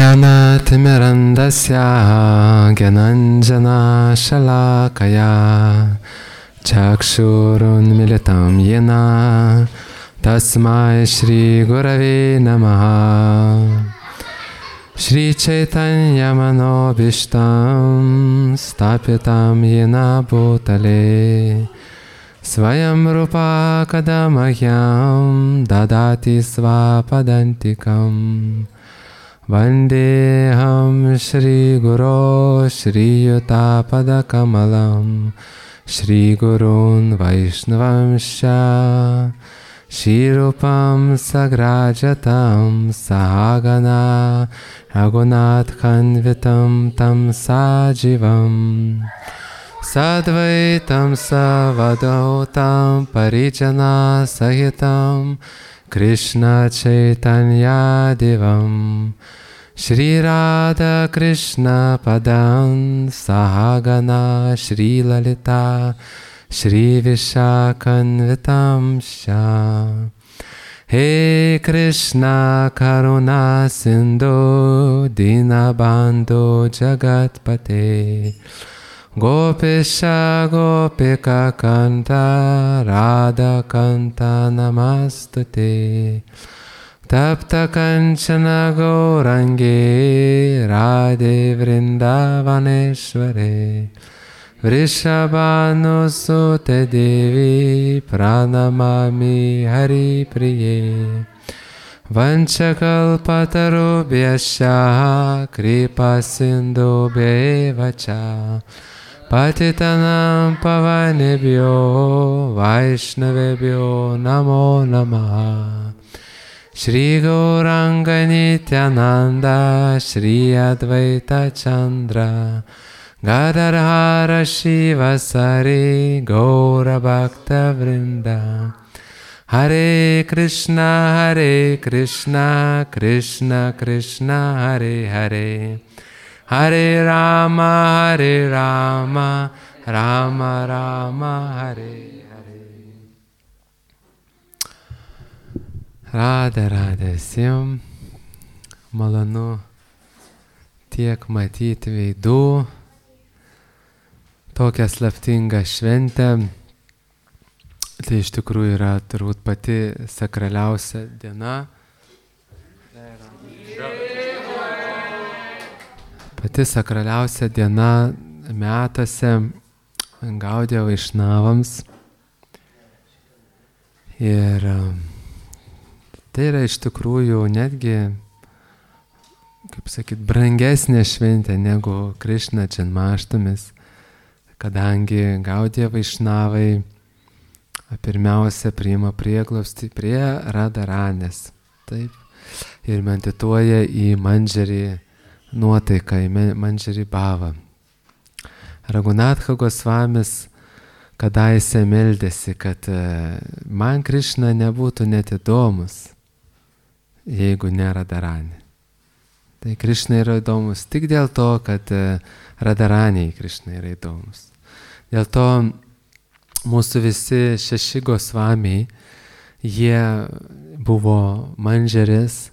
ज्ञानतिमिरन्दस्य ज्ञानाञ्जनशलाकया चक्षुरुन्मिलितं येन तस्मै श्रीगुरवे नमः। श्रीचैतन्यमनोभीष्टं स्थापितं येन भूतले स्वयं रूपा कदा मह्यं ददाति स्वपदान्तिकम्। वन्देऽहं श्रीगुरो श्रीयुतापदकमलं श्रीगुरून् वैष्णवंश्च श्रीरूपं सग्राजतं सहागना रघुनाथान्वितं तं सजीवम् सद्वैतं सवधूतं परिजनसहितं कृष्णचैतन्यदेवं श्रीराधाकृष्णपदं सहागना श्रीललिता श्रीविशाखान्वितं च। हे कृष्ण करुणा सिन्धु दीनबन्धो जगत्पते गोपेश गोपिकान्त राधाकान्त नमस्तुते। तप्त कंचन गौरांगे राधे वृंदावनेश्वरे वृषभानुसुते देवी प्रणमामि हरिप्रिये। वंशकल्पतरुभ्यश्च कृपासिन्धुभ्येव च पतितानां पावनेभ्यो वैष्णवेभ्यो नमो नमः। श्री गौरांग नित्यानंद श्री अद्वैत चंद्र गदाधर शिवसरि गौरभक्तवृंद। हरे कृष्णा कृष्ण कृष्ण हरे हरे हरे राम राम राम हरे Hare. Radhe Radhe visiems, malonu tiek matyti veidų, tokią slaptingą šventę. Tai iš tikrųjų yra turbūt pati sakraliausia diena. Pati sakraliausia diena metuose Gaudijo Vaišnavams. Ir tai yra iš tikrųjų netgi, kaip sakyt, brangesnė šventė negu Krišna Džanmaštamis, kadangi Gaudijo Vaišnavai pirmiausia priima prieglobstį prie Radharanės, taip, ir medituoja į Mandžarį nuotaiką, į Mandžarį bhavą. Raghunatha Gosvamis kadaise meldėsi, kad man Krišna nebūtų net įdomus, jeigu ne Radharanė. Tai Krišna yra įdomus tik dėl to, kad Radharaniai Krišna yra įdomus. Dėl to mūsų visi 6 Gosvamiai, jie buvo Mandžarės,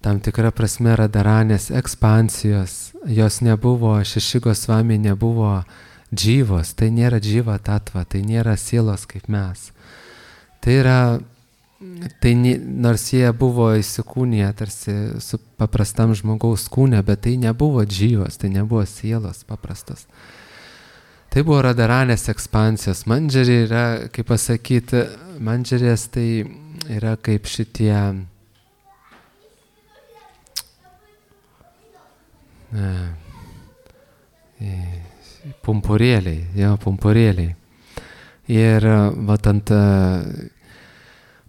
tam tikra prasme Radharanės ekspansijos. Jos nebuvo, 6 Gosvamiai nebuvo džyvos, tai nėra džyva tatva, tai nėra sielos kaip mes. Tai yra, nors jie buvo įsikūniję tarsi su paprastam žmogaus kūne, bet tai nebuvo džyvos, tai nebuvo sielos paprastos. Tai buvo Radharanės ekspansijos. Mandžarė yra, kaip pasakyti, Mandžarės tai yra kaip šitie pumpurėliai. Ir vat ant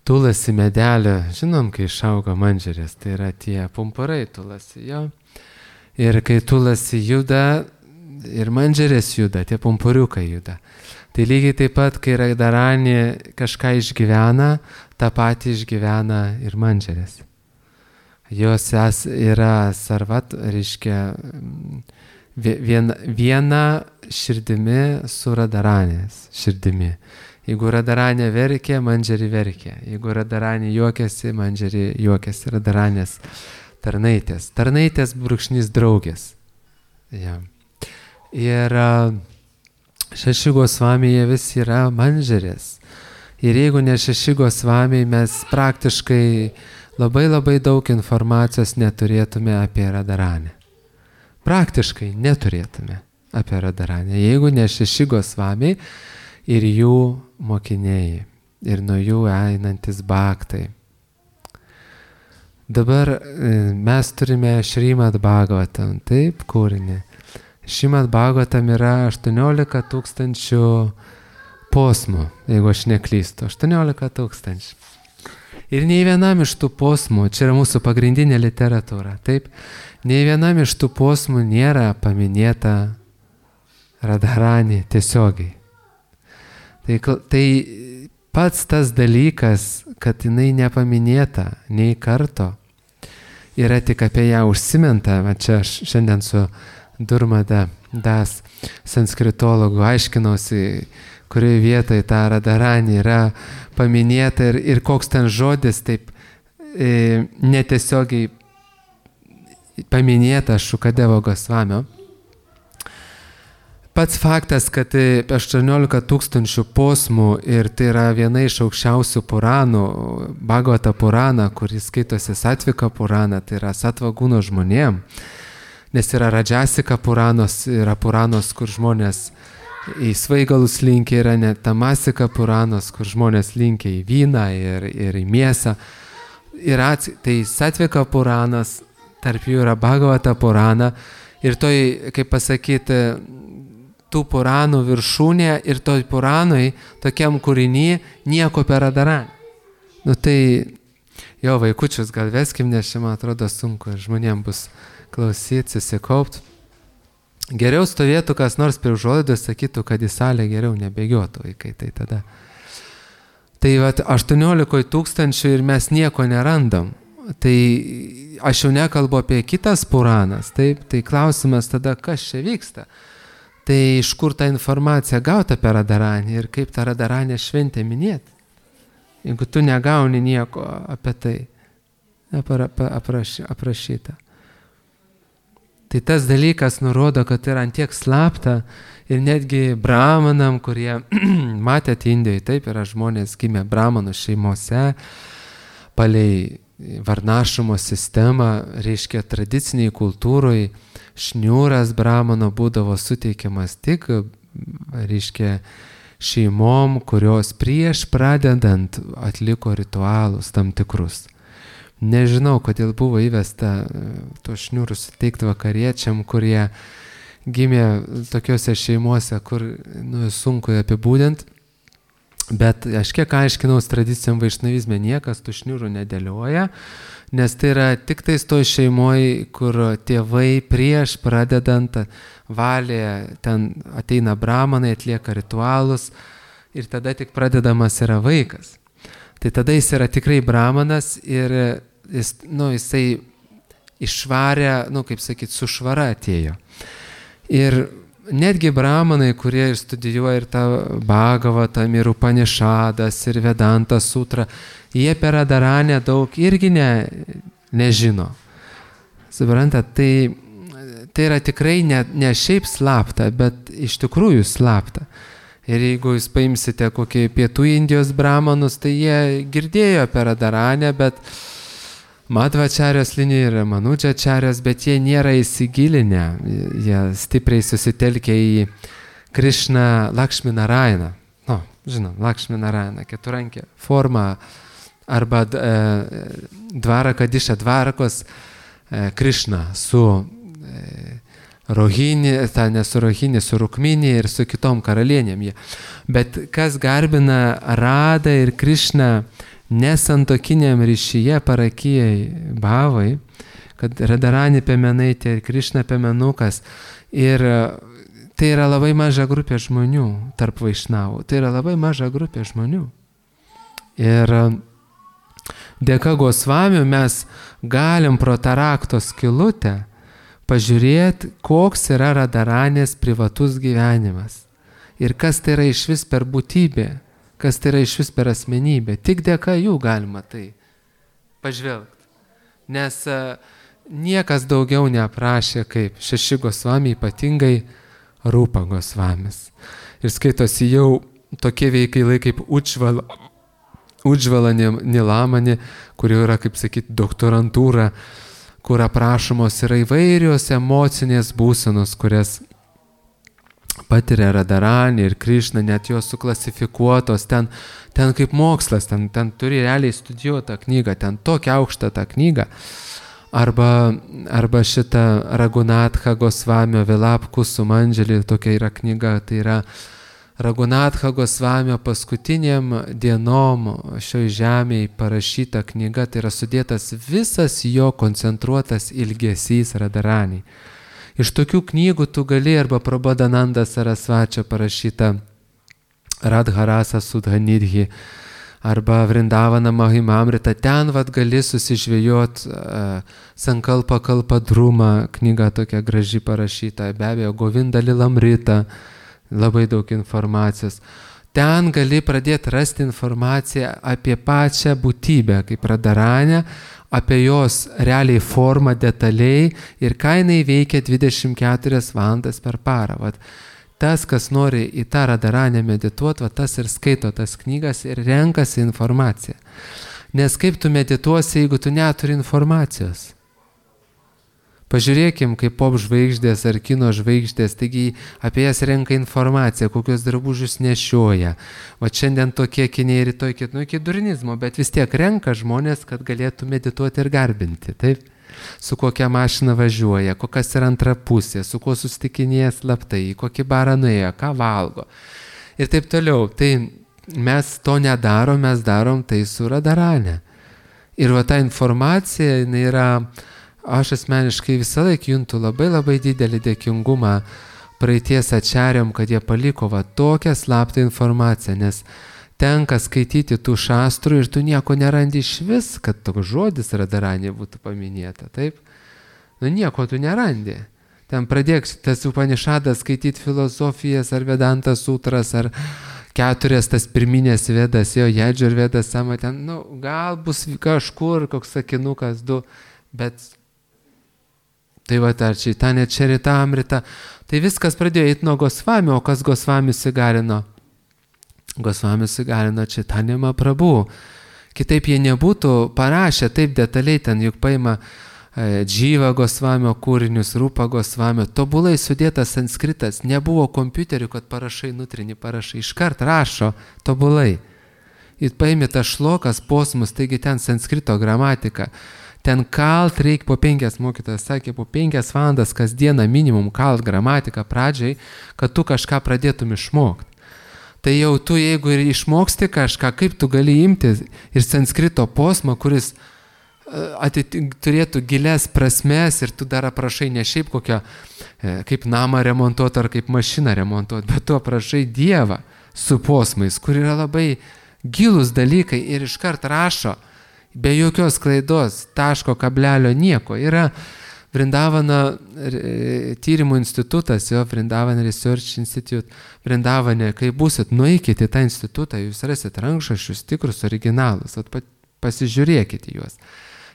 tulasi medelio, žinom, kai išauga Mandžarės, tai yra tie pumpurai tulasi jo. Ir kai tulasi juda, ir Mandžarės juda, tie pumpuriukai juda. Tai lygiai taip pat, kai Radharanė kažką išgyvena, tą patį išgyvena ir Mandžarės. Jos yra sarvat, reiškia viena širdimi su Radharanės širdimi. Jeigu Radharanė verkė, Mandžarė verkė. Jeigu Radharanė juokėsi, Mandžarė juokėsi. Radharanės tarnaitės. Tarnaitės brūkšnys draugės. Ja. Ir Šeši Gosvamiai jie visi yra manžerės. Ir jeigu ne Šeši Gosvamiai, mes praktiškai labai daug informacijos neturėtume apie Radharanę. Praktiškai neturėtume apie Radharanę, jeigu ne Šeši Gosvamiai ir jų mokiniai, ir nuo jų einantis bhaktai. Dabar mes turime Šrimad Bhagavatam, taip, kūrinį. Šrimad Bhagavatam yra 18 tūkstančių posmų, jeigu aš neklystu, 18 tūkstančių. Ir nei vienam iš tų posmų, čia yra mūsų pagrindinė literatūra, taip, nei vienam iš tų posmų nėra paminėta Radharani tiesiogiai. Tai pats tas dalykas, kad jinai nepaminėta nei karto, yra tik apie ją užsimenta. Va čia aš šiandien su Durmada Das sanskritologu aiškinausi, kurioje vietoje ta Radharani yra paminėta ir koks ten žodis taip netiesiogiai paminėta Šukadeva Gosvamio. Pats faktas, kad 18 tūkstančių posmų ir tai yra viena iš aukščiausių puranų, Bhagavata Purana, kuris skaitosi Satvika Purana, tai yra Satvagūno žmonėm, nes yra Rajasika Puranos, yra Puranos, kur žmonės į svaigalus linkia, yra net Tamasika Puranos, kur žmonės linkia į vyną ir į mėsą. Tai Satvika Puranas, tarp jų yra Bhagavata Purana ir toj, kaip pasakyti, tų puranų viršūnė ir toj puranui, tokiam kūriny, nieko per Radharanį. Nu tai, jo vaikučius gal veskim, nes čia man atrodo sunku, žmonėm bus klausyti, susikaupt. Geriau stovėtų kas nors prie užuolaidos, sakytų, kad į salę geriau nebėgiotų vaikai, tai tada. Tai 18 tūkstančių ir mes nieko nerandam. Tai aš jau nekalbu apie kitas puranas, taip, tai klausimas tada, kas čia vyksta. Tai iš kur ta informacija gauta per Radharanį ir kaip tą Radharanę šventę minėti. Jeigu tu negauni nieko apie tai aprašyta. Tai tas dalykas nurodo, kad yra antiek slapta ir netgi brahmanam, kurie matėte Indijoje, taip yra žmonės gimę brahmanų šeimose, palei varnašumo sistemą, reiškia tradiciniai kultūroje, šniūras brahmano būdavo suteikiamas tik, reiškia, šeimom, kurios prieš pradedant atliko ritualus tam tikrus. Nežinau, kodėl buvo įvesta to šniūrų suteikti vakariečiam, kurie gimė tokiuose šeimuose, kur sunku apibūdinti. Bet aš kiek aiškinaus tradicijom vaišnavizme, niekas tų šniūrų nedėlioja, nes tai yra tik tais toj šeimoje, kur tėvai prieš pradedant valė, ten ateina brahmanai, atlieka ritualus ir tada tik pradedamas yra vaikas. Tai tada jis yra tikrai brahmanas ir jisai išvarė, kaip sakyti, su švara atėjo. Ir netgi brahmanai, kurie ir studijuoja ir tą Bhagavatam, ir Upanishadus, ir Vedanta sutrą, jie per Radharanę daug irgi nežino. Suprantat, tai yra tikrai ne šiaip slapta, bet iš tikrųjų slapta. Ir jeigu jūs paimsite kokį pietų Indijos brahmanus, tai jie girdėjo per Radharanę, bet Madhvačarijos linija yra Manučačarijos, bet jie nėra įsigilinę, jie stipriai susitelkia į Krishna Lakshmi Narayana. Žinom, Lakshmi Narayana, keturankė forma, arba Dvarakadiša Dvarakos Krishna su Rohini, ne su Rohini, su Rukmini ir su kitom karalienėm. Bet kas garbina Radą ir Krishną nesantokiniam ryšyje parakijai bhavai, kad Radharani piemenaitė ir Krishna piemenukas. Ir tai yra labai maža grupė žmonių tarp vaišnavų. Tai yra labai maža grupė žmonių. Ir dėka Gosvamių mes galim pro tą rakto skylutę pažiūrėti, koks yra Radharanės privatus gyvenimas. Ir kas tai yra iš vis per būtybė. Kas tai yra iš vis per asmenybę. Tik dėka jų galima tai pažvelgti. Nes niekas daugiau neaprašė kaip 6 Gosvami, ypatingai Rupa Gosvamis. Ir skaitosi jau tokie veikalai kaip Udžvala Nilamani, kur jau yra, kaip sakyti, doktorantūra, kur aprašomos yra įvairios emocinės būsenos, kurias patiria Radharani ir Krišna, net jos suklasifikuotos, ten kaip mokslas, ten turi realiai studijuotą knygą, ten tokia aukšta ta knyga. Arba šita Ragunatha Gosvamio Vilapku Sumandželį, tokia yra knyga, tai yra Ragunatha Gosvamio paskutiniam dienom šioj žemėje parašyta knyga, tai yra sudėtas visas jo koncentruotas ilgesys Radharani. Iš tokių knygų tu gali arba Prabodhananda Sarasvačio parašyta Radharasa Sudhanidhi, arba Vrindavana Mahimamrita, ten gali susižvėjot Sankalpa Kalpadruma, knyga tokia graži parašyta, be abejo Govinda Lilamrita, labai daug informacijos. Ten gali pradėti rasti informaciją apie pačią būtybę, kaip Radharanę, apie jos realiai formą detaliai ir ką jinai veikia 24 valandas per parą. Vat, tas, kas nori į tą Radharanę medituoti, tas ir skaito tas knygas ir renkasi informaciją. Nes kaip tu medituosi, jeigu tu neturi informacijos? Pažiūrėkim, kaip pop žvaigždės ar kino žvaigždės, taigi apie jas renka informaciją, kokios drabužius nešioja. Va šiandien tokie kiniai, rytoj iki durnizmo, bet vis tiek renka žmonės, kad galėtų medituoti ir garbinti, taip? Su kokia mašina važiuoja, kokias yra antra pusė, su kuo susitikinėja slaptai, kokį barą nuėjo, ką valgo. Ir taip toliau. Tai mes to nedarom, mes darom tai su Radharane. Ir va ta informacija, jinai yra, aš asmeniškai visą laiką juntu labai didelį dėkingumą praeities ačariam, kad jie paliko va tokią slaptą informaciją, nes tenka skaityti tų šastrų ir tu nieko nerandi iš vis, kad toks žodis Radharani būtų paminėta, taip? Nu nieko tu nerandi. Ten pradėk tas Upanišadas skaityti filosofijas ar Vedantas sutras ar 4 tas pirminės vedas, jo Jedžur vedas, sama ten, nu gal bus kažkur koks sakinukas 2, bet tai va ar Čaitanė Čaritamrita, tai viskas pradėjo eiti nuo Gosvamio, o kas Gosvami įsigalino? Gosvami įsigalino Čaitanė Mahaprabhu. Kitaip jie nebūtų parašę taip detaliai, ten juk paima Džyva Gosvamio kūrinius, Rupa Gosvamio, tobulai sudėtas sanskritas, nebuvo kompiuterių, kad parašai nutrini, parašai, iškart rašo tobulai. Ir paimi tą šlokas, posmus, taigi ten sanskrito gramatika. Ten kalt reikia po 5, mokytojas sakė, po 5 valandas kasdieną minimum kalt gramatiką pradžiai, kad tu kažką pradėtum išmokti. Tai jau tu, jeigu ir išmoksti kažką, kaip tu gali imti ir sanskrito posmą, kuris turėtų gilias prasmes ir tu dar aprašai ne šiaip kokią, kaip namą remontuoti ar kaip mašiną remontuoti, bet tu aprašai Dievą su posmais, kur yra labai gilūs dalykai ir iškart rašo, be jokios klaidos, taško, kablelio, nieko. Yra Vrindavana tyrimų institutas, jo Vrindavan Research Institute, Vrindavane, kai būsit, nueikite į tą institutą, jūs rasit rankšraščius tikrus, originalus, pasižiūrėkite juos.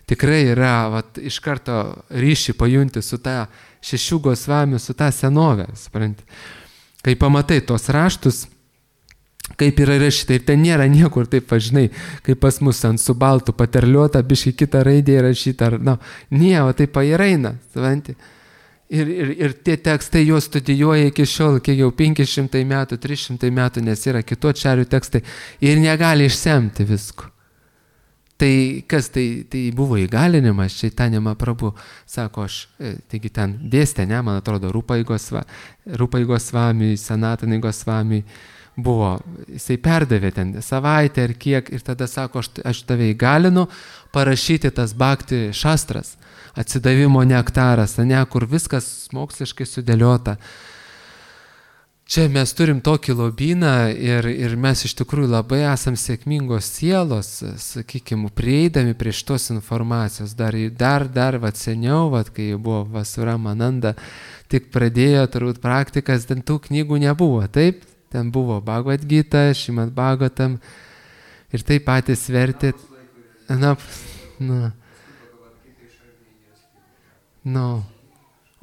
Tikrai yra, iš karto ryšį pajunti su ta 6 Gosvamių, su ta senovė, supranti. Kai pamatai tos raštus, kaip yra rašyta, ir ten nėra niekur taip, žinai, kaip pas mus ant su baltu paterliuota, biškai kitą raidę rašyta, ar, o taip ir eina, supranti. Ir tie tekstai juos studijuoja iki šiol, kiek jau 500 metų, 300 metų, nes yra kitų ačarių tekstai ir negali išsemti visko. Tai kas tai buvo įgalinimas, Čaitanė Mahaprabhu, sako aš, taigi ten dėstė, ne, man atrodo, Rupai Gosvami, Sanatanai Gosvami, buvo, jisai perdavė ten savaitę ar kiek ir tada sako, aš tave įgalinu parašyti tas bhakti šastras, atsidavimo nektaras, ne, kur viskas moksliškai sudėliota. Čia mes turim tokį lobyną ir mes iš tikrųjų labai esam sėkmingos sielos, sakykime, prieidami prie šitos informacijos. Dar seniau, kai buvo Vasuramananda, tik pradėjo turbūt praktikas, ten tų knygų nebuvo, taip? Ten buvo Bhagavad Gita, Šrimad Bhagavatam ir tai patys vertė. Nu.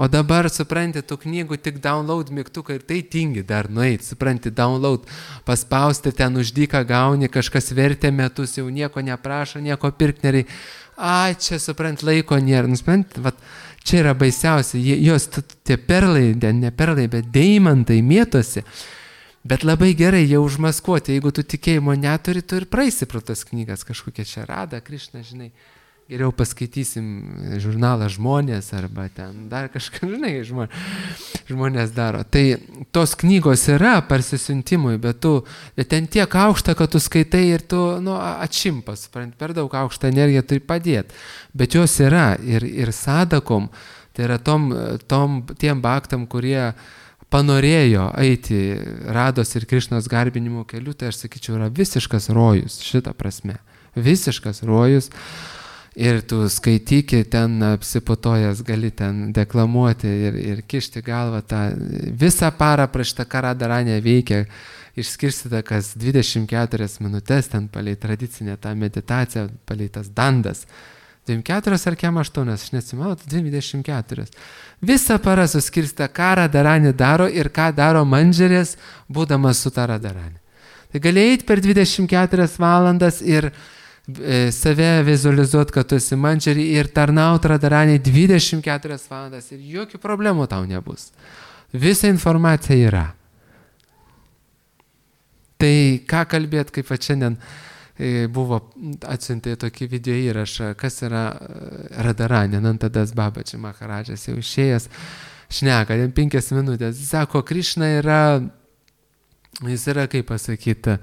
O dabar, supranti, tų knygų tik download mygtuką ir tai tingi dar nueit, supranti, download, paspausti ten uždyką gauni, kažkas vertė metus, jau nieko neprašo, nieko pirkt nereikia. Ai, čia, supranti, laiko nėra. Supranti, vat, čia yra baisiausia, jos tie perlai, ne perlai, bet deimantai mėtosi. Bet labai gerai jie užmaskuoti, jeigu tu tikėjimo neturi, tu ir praeisi pro tas knygas, kažkokia čia Rada, Krišna, žinai. Geriau paskaitysim žurnalą Žmonės arba ten dar kažką, žinai, žmonės daro. Tai tos knygos yra parsisiuntimui, bet ten tiek aukšta, kad tu skaitai ir tu atšimpas, per daug aukštą energiją turi padėti. Bet jos yra ir sadakom, tai yra tiem baktam, kurie panorėjo eiti Rados ir Krišnos garbinimo keliu, tai aš sakyčiau, yra visiškas rojus šitą prasme. Visiškas rojus. Ir tu skaityki ten apsiputojęs, gali ten deklamuoti ir kišti galvą tą visą parą prieš tą Radaranę veikia, išskirstyta kas 24 minutės ten palei tradicinę tą meditaciją, palei tas dandas. 24 ar kem 8, aš nesimenu, 24. Visą parą suskirstyta, ką Radaranė daro ir ką daro Mandžerės, būdamas su tą Radaranė. Tai gali eiti per 24 valandas ir save vizualizuoti, kad tu esi Mandžerį ir tarnaut Radaraniai 24 valandas ir jokių problemų tau nebus. Visa informacija yra. Tai ką kalbėt, kaip šiandien buvo atsiuntė tokį video įrašą, kas yra Radaranė, Nantadas Babaji Maharadžas jau išėjęs, šneka, 5 minutės, jis sako, Krišna jis yra, kaip pasakyti,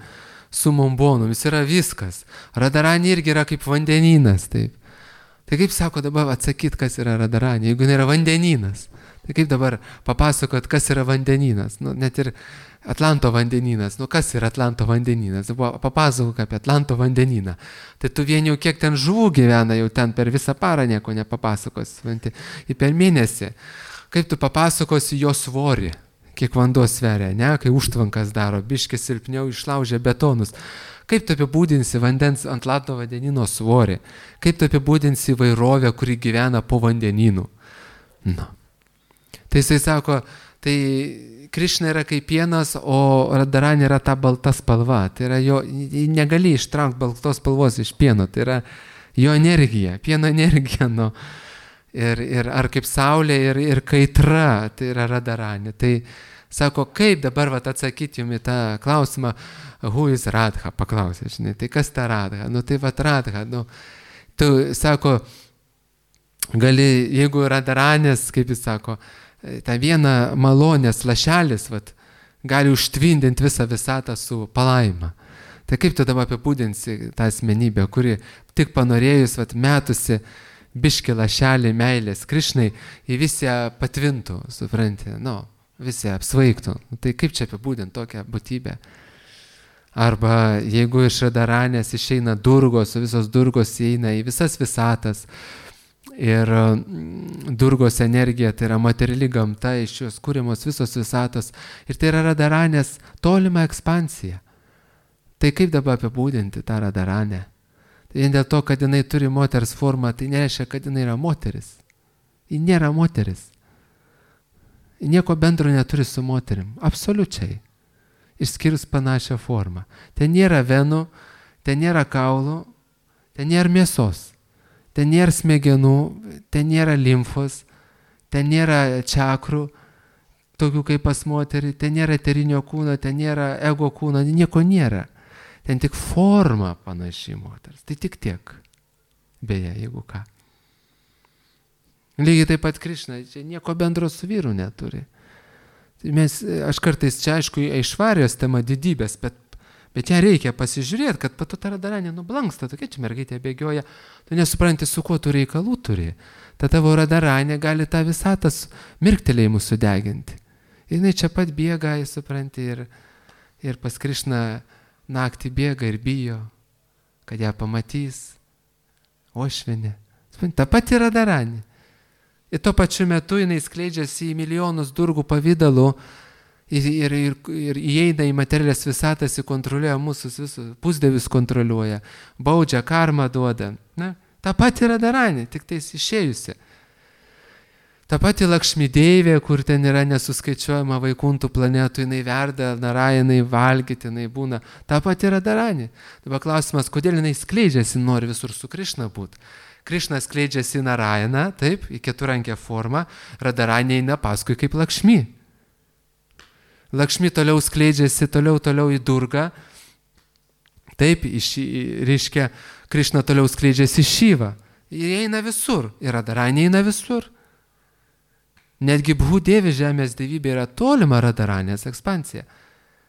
su Mombonu, jis yra viskas. Radaranė irgi yra kaip vandenynas, taip. Tai kaip sako dabar atsakyti, kas yra Radaranė, jeigu nėra vandenynas? Tai kaip dabar papasakot, kas yra vandenynas? Net ir Atlanto vandenynas. Kas yra Atlanto vandenynas? Papasakok apie Atlanto vandenyną. Tai tu vien jau kiek ten žuvų gyvena, jau ten per visą parą nieko nepapasakos. Ir per mėnesį. Kaip tu papasakosi jo svorį? Kiek vanduo sveria, ne? Kai užtvankas daro, biškis silpniau išlaužia betonus. Kaip tu apibūdinsi vandens Atlanto vandenyno svorį? Kaip tu apibūdinsi įvairovę, kuri gyvena po vandenynu? Tai jisai sako, tai Krišna yra kaip pienas, o Radaranė yra ta balta spalva. Tai yra jo, negali ištraukti baltos spalvos iš pieno, tai yra jo energija, pieno energija. Ir ar kaip saulė ir kaitra, tai yra Radaranė. Tai sako, kaip dabar atsakyti jums į tą klausimą, who is Radha, paklausė, žinai, tai kas ta Radha? Tai Radha, tu sako, gali, jeigu Radaranės, kaip jis sako, tą vieną malonės lašelis, gali užtvindinti visą visatą su palaima. Tai kaip tu dabar apibūdinsi tą asmenybę, kuri tik panorėjus, metusi biški lašelį meilės Krišnai, į visi patvintų, supranti, visi apsvaigtų. Tai kaip čia apibūdinti tokią būtybę? Arba jeigu iš Radaranės išeina Durgos, o visos Durgos įeina į visas visatas, ir Durgos energija, tai yra materiali gamta, iš jos kūrimos visos visatos, ir tai yra Radaranės tolima ekspansija. Tai kaip dabar apibūdinti tą Radaranę? Tai vien dėl to, kad jinai turi moters formą, tai nereiškia, kad jinai yra moteris. Ji nėra moteris. Ji nieko bendro neturi su moterim. Absoliučiai. Išskyrus panašią formą. Ten nėra venų, ten nėra kaulų, ten nėra mėsos, ten nėra smegenų, ten nėra limfos, ten nėra čakrų, tokių kaip pas moterį, ten nėra eterinio kūno, ten nėra ego kūno, nieko nėra. Ten tik forma panaši moters. Tai tik tiek. Beje, jeigu ką. Lygiai taip pat Krišna, čia nieko bendro su vyru neturi. Aš kartais čia, aišku, Aišvarijos tema didybės, bet ją reikia pasižiūrėti, kad patu ta Radaranė nublanksta, tokia čia mergaitė bėgioja, tu nesupranti, su kuo tu reikalų turi. Ta tavo Radaranė gali tą visatas mirktelėjimų sudeginti. Ir jinai čia pat bėga, supranti, ir pas Krišną naktį bėga ir bijo, kad ją pamatys, ošvinė. Ta pati Radaranė. Ir tuo pačiu metu jinai skleidžiasi į milijonus durgų pavydalų ir įeina į materialės visatas, kontroliuoja mūsų visus, pusdievius kontroliuoja, baudžia, karmą duoda. Ta pati Radaranė, tik tais išėjusi. Ta pati Lakšmideivė, kur ten yra nesuskaičiuojama vaikuntų planetų, jinai verda, Narajanai valgyti, jinai būna. Ta pati Radharani. Dabar klausimas, kodėl jinai skleidžiasi, nori visur su Krišna būti. Krišna skleidžiasi į Narajaną, taip, į keturankę formą, Radharani eina paskui kaip Lakšmi. Lakšmi toliau skleidžiasi, toliau į Durgą. Taip, reiškia, Krišna toliau skleidžiasi į Šyvą. Jie eina visur, ir Radharani eina visur. Netgi Bhudėvi žemės dievybė yra tolima Radharanės ekspansija.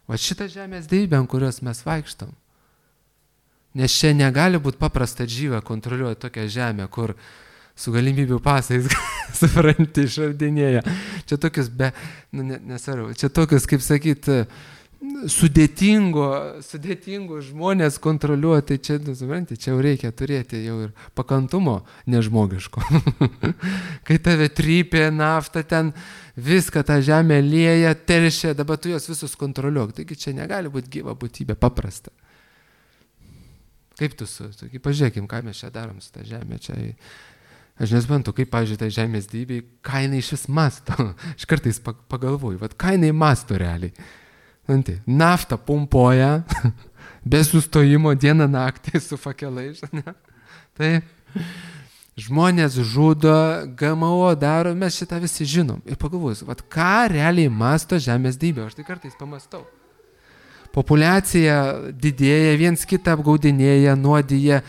O šitą žemės dievybę, ant kurios mes vaikštom. Nes čia negali būti paprasta džyva kontroliuoti tokią žemę, kur su galimybių pasais, supranti, išardinėja. Čia tokius čia tokius, kaip sakyti, sudėtingų žmonės kontroliuoti, čia, supranti, čia jau reikia turėti jau ir pakantumo nežmogiško. Kai tave trypė nafta ten, viską tą žemę lieja, teršia, dabar tu jos visus kontroliuok. Taigi čia negali būti gyva būtybė, paprasta. Kaip tu pažiūrėkim, ką mes čia darom su tą žemę. Čia, aš nesuprantu, kaip, pavyzdžiui, tai žemės dievybei, ką jinai iš vis masto. Aš kartais pagalvoju, ką jinai masto realiai. Naftą pumpuoja, be sustojimo dieną naktį su fakelais. Taip. Žmonės žudo, GMO daro, mes šitą visi žinom. Ir pagalvojus, ką realiai masto žemės dievybė. Aš tai kartais pamastau. Populiacija didėja, viens kitą apgaudinėja, nuodyja,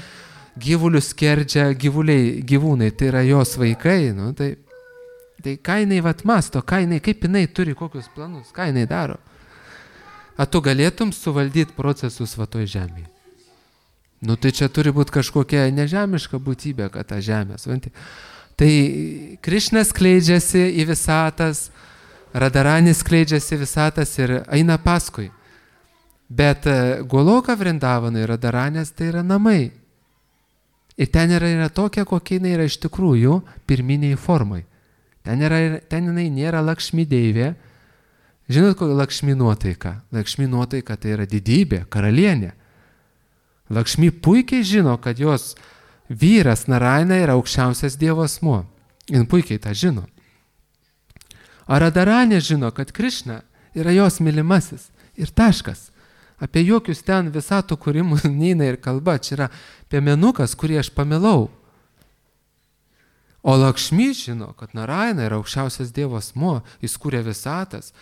gyvulius skerdžia, gyvūnai, tai yra jos vaikai. Nu, tai ką jinai masto, kaip jinai turi kokius planus, ką jinai daro. Ar tu galėtum suvaldyti procesus toj žemėje? Nu tai čia turi būti kažkokia nežemiška būtybė, kad ta žemė. Tai Krišna skleidžiasi į visatas, Radharani skleidžiasi į visatas ir eina paskui. Bet Goloka Vrindavanai, Radharanės, tai yra namai. Ir ten yra tokia, kokia jinai yra iš tikrųjų pirminiai formai. Ten jinai nėra Lakšmideivė. Žinot, kokia Lakšmi nuotaika? Lakšmi nuotaika tai yra didybė, karalienė. Lakšmi puikiai žino, kad jos vyras Narayana yra aukščiausias Dievo asmuo. Jis puikiai tą žino. O Radharani žino, kad Krišna yra jos mylimasis. Ir taškas. Apie jokius ten visatų kūrimus neina ir kalba. Čia yra piemenukas, kurį aš pamilau. O Lakšmi žino, kad Narayana yra aukščiausias Dievo asmuo. Jis kūrė visatas.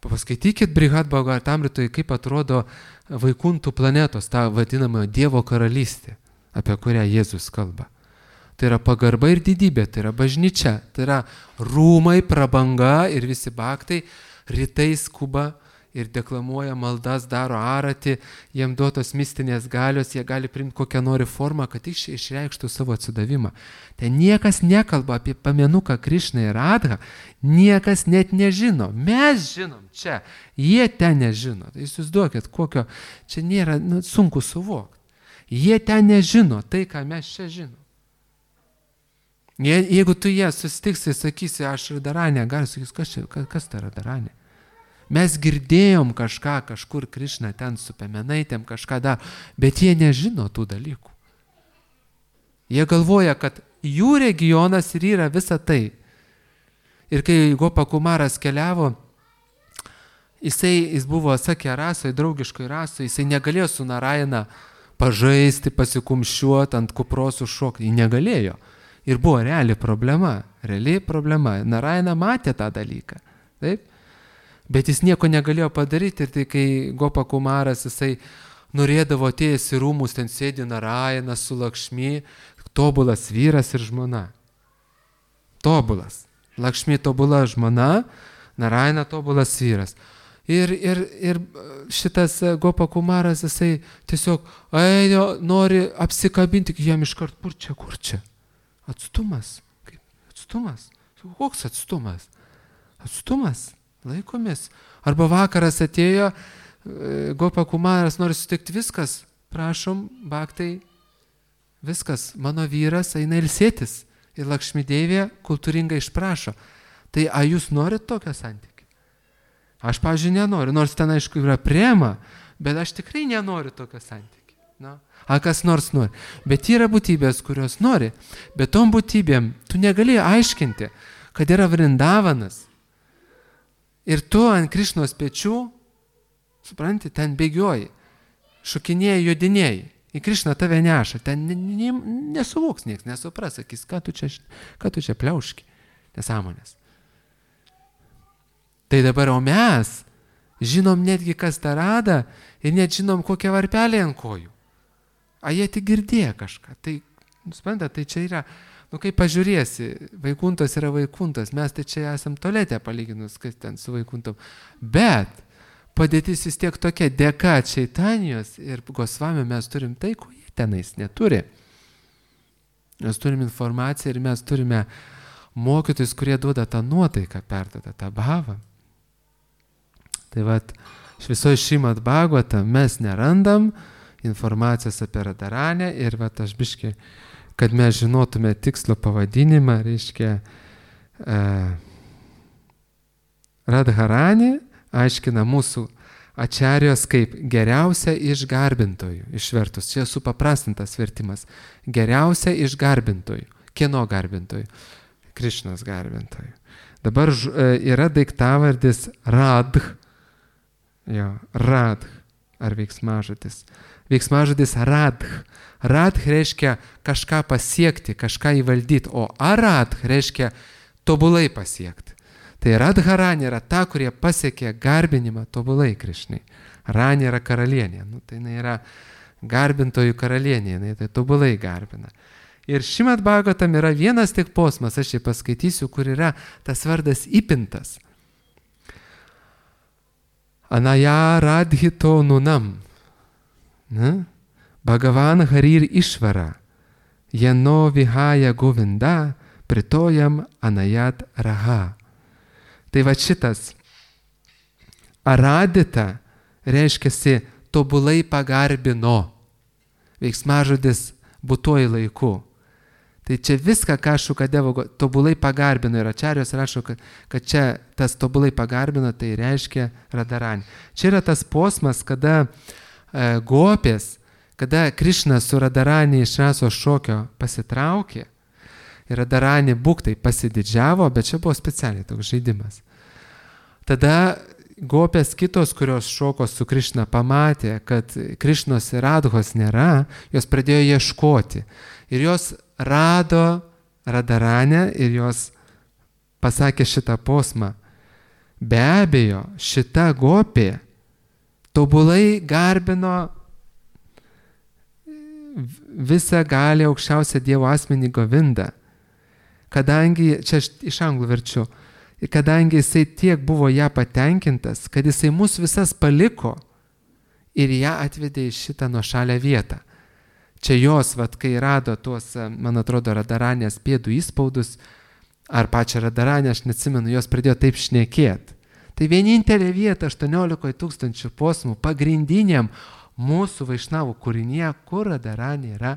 Paskaitykit Brihad Bhagavatamritoje, kaip atrodo vaikuntų planetos, ta vadinama Dievo karalystė, apie kurią Jėzus kalba. Tai yra pagarba ir didybė, tai yra bažnyčia, tai yra rūmai, prabanga ir visi baktai, rytai skuba ir deklamuoja maldas, daro aratį, jiem duotos mistinės galios, jie gali priimti kokią nori formą, kad išreikštų savo atsidavimą. Ten niekas nekalba apie pamenuką Krišną ir Radhą, niekas net nežino. Mes žinom čia, jie ten nežino. Tai jūs duokit, kokio, čia nėra sunku suvokti. Jie ten nežino tai, ką mes čia žinom. Jeigu tu jie susitiksi, sakysi, aš Radharanė, gali sakyti, kas tai Radharanė? Mes girdėjom kažkur Krišna ten su pemenaitėm kažką daro, bet jie nežino tų dalykų. Jie galvoja, kad jų regionas ir yra visa tai. Ir kai Gopakumaras keliavo, jis buvo sakė rasoje, draugiškoje rasoje, jisai negalėjo su Narayana pažaisti, pasikumščiuoti, ant kupros užšokti, jis negalėjo. Ir buvo reali problema. Narayana matė tą dalyką. Taip? Bet jis nieko negalėjo padaryti ir tai, kai Gopakumaras, jisai norėdavo atėjęs į rūmus, ten sėdi Narayanas su Lakšmi, tobulas vyras ir žmona. Tobulas. Lakšmi tobula žmona, Narayana tobulas vyras. Ir šitas Gopakumaras, jisai tiesiog nori apsikabinti, jam iškart, kur čia? Atstumas. Kaip? Atstumas. Koks atstumas? Atstumas. Laikomės. Arba vakaras atėjo, Gopakumaras nori sutikti, viskas, prašom, baktai, viskas, mano vyras eina ilsėtis. Ir Lakšmideivė kultūringai išprašo. Tai ar jūs norit tokio santykį? Aš, pavyzdžiui, nenoriu, nors ten aišku yra prema, bet aš tikrai nenoriu tokio santykį. Na? Ar kas nors nori. Bet yra būtybės, kurios nori. Bet tom būtybėm tu negali aiškinti, kad yra Vrindavanas. Ir tu ant Krišnos pečių, supranti, ten bėgioji, šokinėjai, jodinėjai. Į Krišną tave neša, ten nesuvoks nieks, nesupras, sakys, ką tu čia pliauški, nesąmonės. Tai dabar, o mes žinom netgi, kas tą rada ir net žinom, kokią varpelį ant kojų. A jie tik girdėjo kažką. Tai, suprantat, tai čia yra, kaip pažiūrėsi, Vaikuntas yra Vaikuntas, mes tai čia esam tolete palyginus, kas ten su Vaikuntom. Bet padėtis vis tiek tokia, dėka Čaitanijos ir Gosvamio mes turim tai, ko jie tenais neturi. Mes turim informaciją ir mes turime mokytojus, kurie duoda tą nuotaiką, perduoda tą bhavą. Tai vat, visoje Šrimad Bhagavatam mes nerandam informacijos apie Radharanę ir vat aš biškai, kad mes žinotume tikslo pavadinimą, reiškia Radharanė aiškina mūsų ačarijos kaip geriausia iš garbintojų, išvertus. Čia supaprastintas vertimas. Geriausia iš garbintojų. Kieno garbintojų? Krišnos garbintojų. Dabar yra daiktavardis radh. Jo, radh. Ar veiksmažodis? Veiksmažodis radh. Radh reiškia kažką pasiekti, kažką įvaldyti, o aradh reiškia tobulai pasiekti. Tai Radharani yra ta, kurie pasiekė garbinimą tobulai Krišnai. Rani yra karalienė, tai jinai yra garbintojų karalienė, jinai tai tobulai garbina. Ir Šrimad Bhagavatam yra vienas tik posmas, aš jį paskaitysiu, kur yra tas vardas įpintas. Anaya radhito nunam. Bhagavan harir išvara. Jano vihaya govinda pritojam anayat raha. Tai va šitas aradita reiškiasi tobulai pagarbino. Veiksmažodis būtuoju laiku. Tai čia viską, ką Šukadeva tobulai pagarbino ir Ačarijos rašo, kad čia tas tobulai pagarbino, tai reiškia Radharani. Čia yra tas posmas, kada gopės, kada Krišnas su Radharani iš rasos šokio pasitraukė. Ir Radharani būktai pasididžiavo, bet čia buvo specialiai toks žaidimas. Tada gopės kitos, kurios šoko su Krišna, pamatė, kad Krišnos ir Radhos nėra, jos pradėjo ieškoti. Ir jos rado Radharanę ir jos pasakė šitą posmą. Be abejo, šita gopė tobulai garbino visą gali aukščiausią Dievo asmenį Govindą. Kadangi, čia iš anglų verčiu, kadangi jisai tiek buvo ją patenkintas, kad jisai mus visas paliko ir ją atvedė į šitą nuošalę vietą. Čia jos, kai rado tuos, man atrodo, Radharanės pėdų įspaudus, ar pačią Radharanę, aš neatsimenu, jos pradėjo taip šnekėti. Tai vienintelė vieta 18 000 posmų pagrindiniam mūsų Vaišnavų kūrinyje, kur Radharanė yra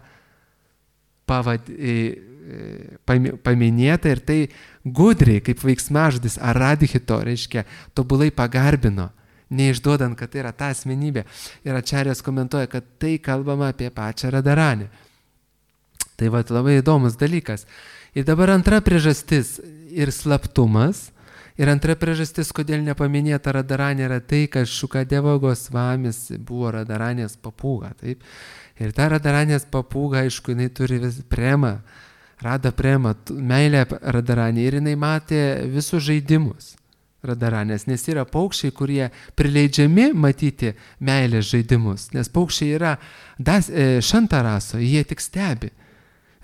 paminėta ir tai gudriai, kaip veiksmažodis aradhito, reiškia, tobulai pagarbino, neišduodant, kad tai yra ta asmenybė. Ir Ačarijas komentuoja, kad tai kalbama apie pačią Radharanę. Tai labai įdomus dalykas. Ir dabar antra priežastis ir slaptumas. Ir antra priežastis, kodėl nepaminėta Radharanė, yra tai, kad Šukadeva Gosvamis buvo Radharanės papūga. Taip? Ir ta Radharanės papūga, aišku, jinai turi premą, rada premą, meilę Radharanė. Ir jinai matė visus žaidimus Radharanės, nes yra paukščiai, kurie prileidžiami matyti meilės žaidimus. Nes paukščiai yra šantaraso, jie tik stebi.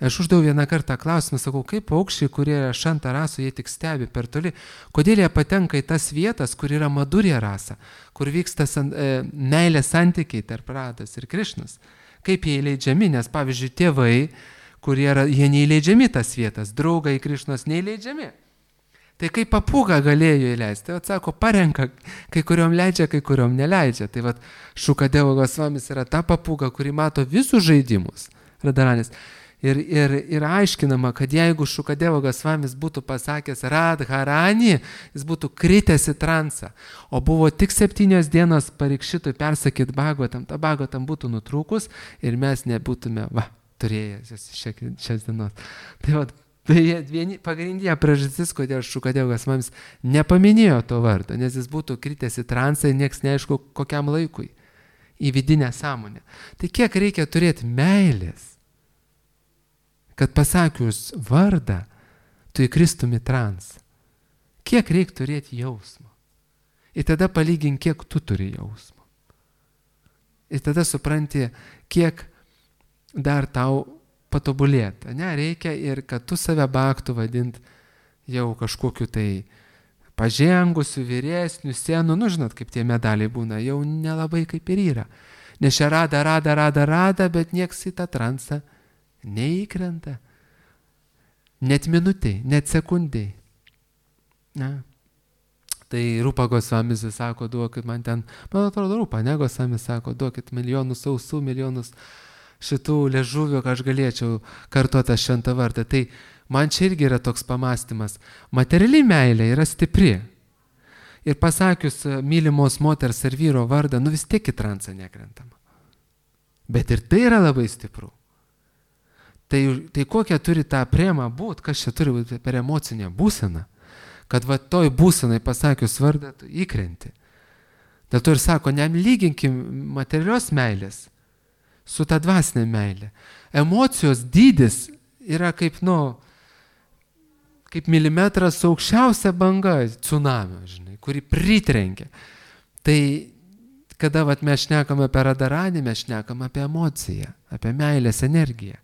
Aš uždaviau vieną kartą klausimą, sakau, kaip paukščiai, kurie yra šantaraso, jie tik stebi per toli, kodėl jie patenka į tas vietas, kur yra madurė rasa, kur vyksta meilės santykiai tarp Rados ir Krišnos. Kaip jie įleidžiami, nes pavyzdžiui tėvai, jie neįleidžiami tas vietas, draugai Krišnos neįleidžiami. Tai kaip papūga galėjo įleisti, tai atsako, parenka, kai kuriuom leidžia, kai kuriuom neleidžia. Tai Šukadeva Gosvamis yra ta papūga, kuri mato visus žaidimus Radharanės. Ir aiškinama, kad jeigu Šukadeva Gosvamis būtų pasakęs Radharani, jis būtų kritęs į transą, o buvo tik 7 dienos Parikšitui persakyti Bhagavatam, ta Bhagavatam būtų nutrūkus ir mes nebūtume turėję šias dienos. Tai Tai pagrindinė priežastis, kodėl Šukadevas mums nepaminėjo to vardo, nes jis būtų kritęs į transą ir nieks neaišku kokiam laikui, į vidinę sąmonę. Tai kiek reikia turėti meilės, kad pasakius vardą, tu įkristum į transą. Kiek reikia turėti jausmo. Ir tada palygink, kiek tu turi jausmo. Ir tada supranti, kiek dar tau patobulėti. Ne, reikia ir kad tu save baktų vadint jau kažkokiu tai pažengusiu, vyresniu, senu, nu žinot, kaip tie medaliai būna, jau nelabai kaip ir yra. Nes čia rada, bet nieks į tą transą neįkrenta. Net minutėj, net sekundėj. Na. Tai Rūpa Gosvamis sako, duokit man ten, man atrodo Rūpa, ne Gosvamis sako, duokit milijonus ausų, milijonus šitų liežuvių, kad aš galėčiau kartuoti šventą vardą. Tai man čia irgi yra toks pamastymas. Materiali meilė yra stipri. Ir pasakius mylimos moters ar vyro vardą, nu vis tiek į transą nekrentama. Bet ir tai yra labai stipru. Tai kokia turi tą premą būti, kas čia turi būti per emocinę būseną, kad va toj būsenai pasakius vardą, tu įkrenti. Dėl to ir sako, nelyginkim materialios meilės su ta dvasinė meilė. Emocijos dydis yra kaip, kaip milimetras aukščiausia banga tsunamio, žinai, kuri pritrenkia. Tai kada mes šnekame apie radaranį, mes šnekame apie emociją, apie meilės energiją.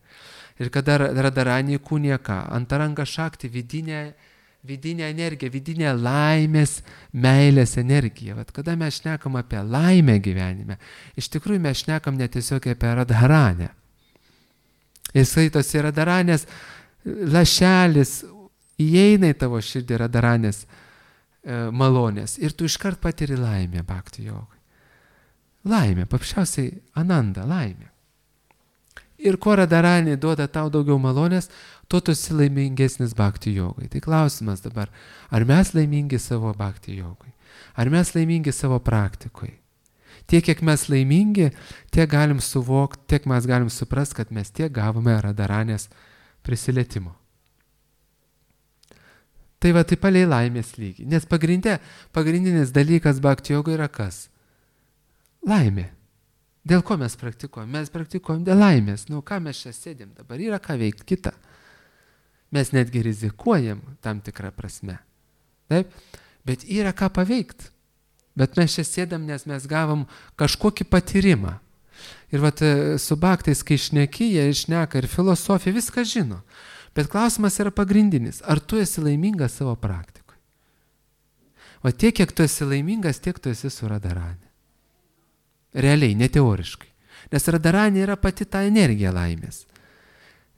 Ir kada radaranį įkūnija ką? Antaranga šakti, vidinė energija, vidinė laimės, meilės energija. Vat kada mes šnekam apie laimę gyvenime, iš tikrųjų mes šnekam netiesiog apie radharanę. Ir skaitosi radharanės lašelis, įeina į tavo širdį radharanės malonės ir tu iškart patiri laimę bhakti jogai. Laimė, paprasčiausiai ananda, laimė. Ir kuo radharanė duoda tau daugiau malonės, tuo tu esi laimingesnis bhakti jogai. Tai klausimas dabar, ar mes laimingi savo bhakti jogai? Ar mes laimingi savo praktikoje? Tiek, kiek mes laimingi, tiek galim suvokti, tiek mes galim suprasti, kad mes tiek gavome radharanės prisilietimo. Tai va, tai palei laimės lygį. Nes pagrindinis dalykas bhakti jogai yra kas? Laimė. Dėl ko mes praktikuojam? Mes praktikuojam dėl laimės. Nu, ką mes čia sėdėm dabar? Yra ką veikti kitą. Mes netgi rizikuojam tam tikrą prasme. Taip? Bet yra ką paveikti. Bet mes čia sėdam, nes mes gavom kažkokį patyrimą. Ir vat su bhaktais, kai šneki, jie šneka ir filosofija, viską žino. Bet klausimas yra pagrindinis. Ar tu esi laimingas savo praktikoje? O tiek, kiek tu esi laimingas, tiek tu esi su radharane. Realiai, ne teoriškai. Nes radharanė yra pati ta energija laimės.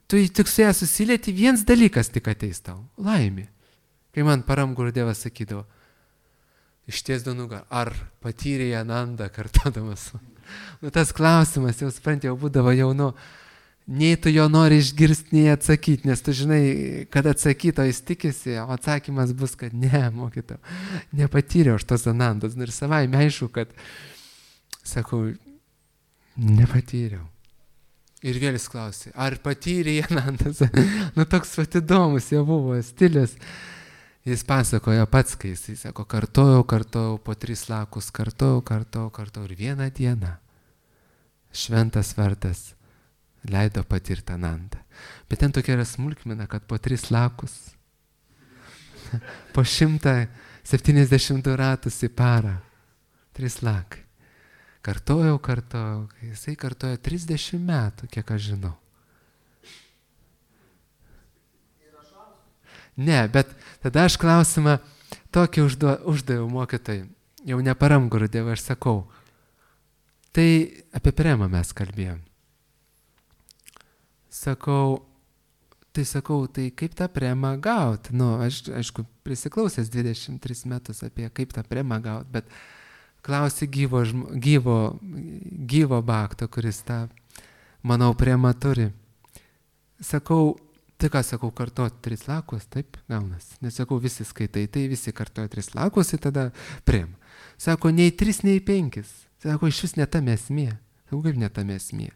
Tu tik su ją susilieti, vienas dalykas tik ateis tau. Laimė. Kai man Param Gurudevas sakydavo, ištiesdo nugarą, ar patyrė anandą kartodamas. Nu, tas klausimas, jau supranti, jau būdavo jaunu, nei tu jo nori išgirsti, nei atsakyti, nes tu žinai, kad atsakyto jis tikisi, o atsakymas bus, kad ne, mokytau, nepatyriau aš tos anandos. Ir savaime aišku, kad sakau, nepatyriau. Ir vėl jis klausė, ar patyrė anandas? Nu, toks įdomus jau buvo stilius. Jis pasakojo pats, kai jis sako, kartojau, po 3 lakus, kartojau ir vieną dieną šventas vardas leido patirti anandą. Bet ten tokia yra smulkmena, kad po 3 lakus, po 170 ratus į parą, 3 lakai. Kartojau, jisai kartojo 30 metų, kiek aš žinau. Ne, bet tada aš klausimą tokį uždaviau mokytojai, jau ne Param Gurudevui, aš sakau, tai apie premą mes kalbėjom. Sakau, tai kaip tą premą gauti? Nu, aš, aišku, prisiklausęs 23 metus apie kaip tą premą gauti, bet klausi gyvo bhakto, kuris tą, manau, premą turi. Sakau, tai ką sakau, kartuoti 3 lakus, taip gaunas. Nesakau, visi skaitai, tai visi kartuoja 3 lakus ir tada premą. Sako, nei 3, nei 5. Sako, iš vis netame esmė. Sakau, kaip netame esmė.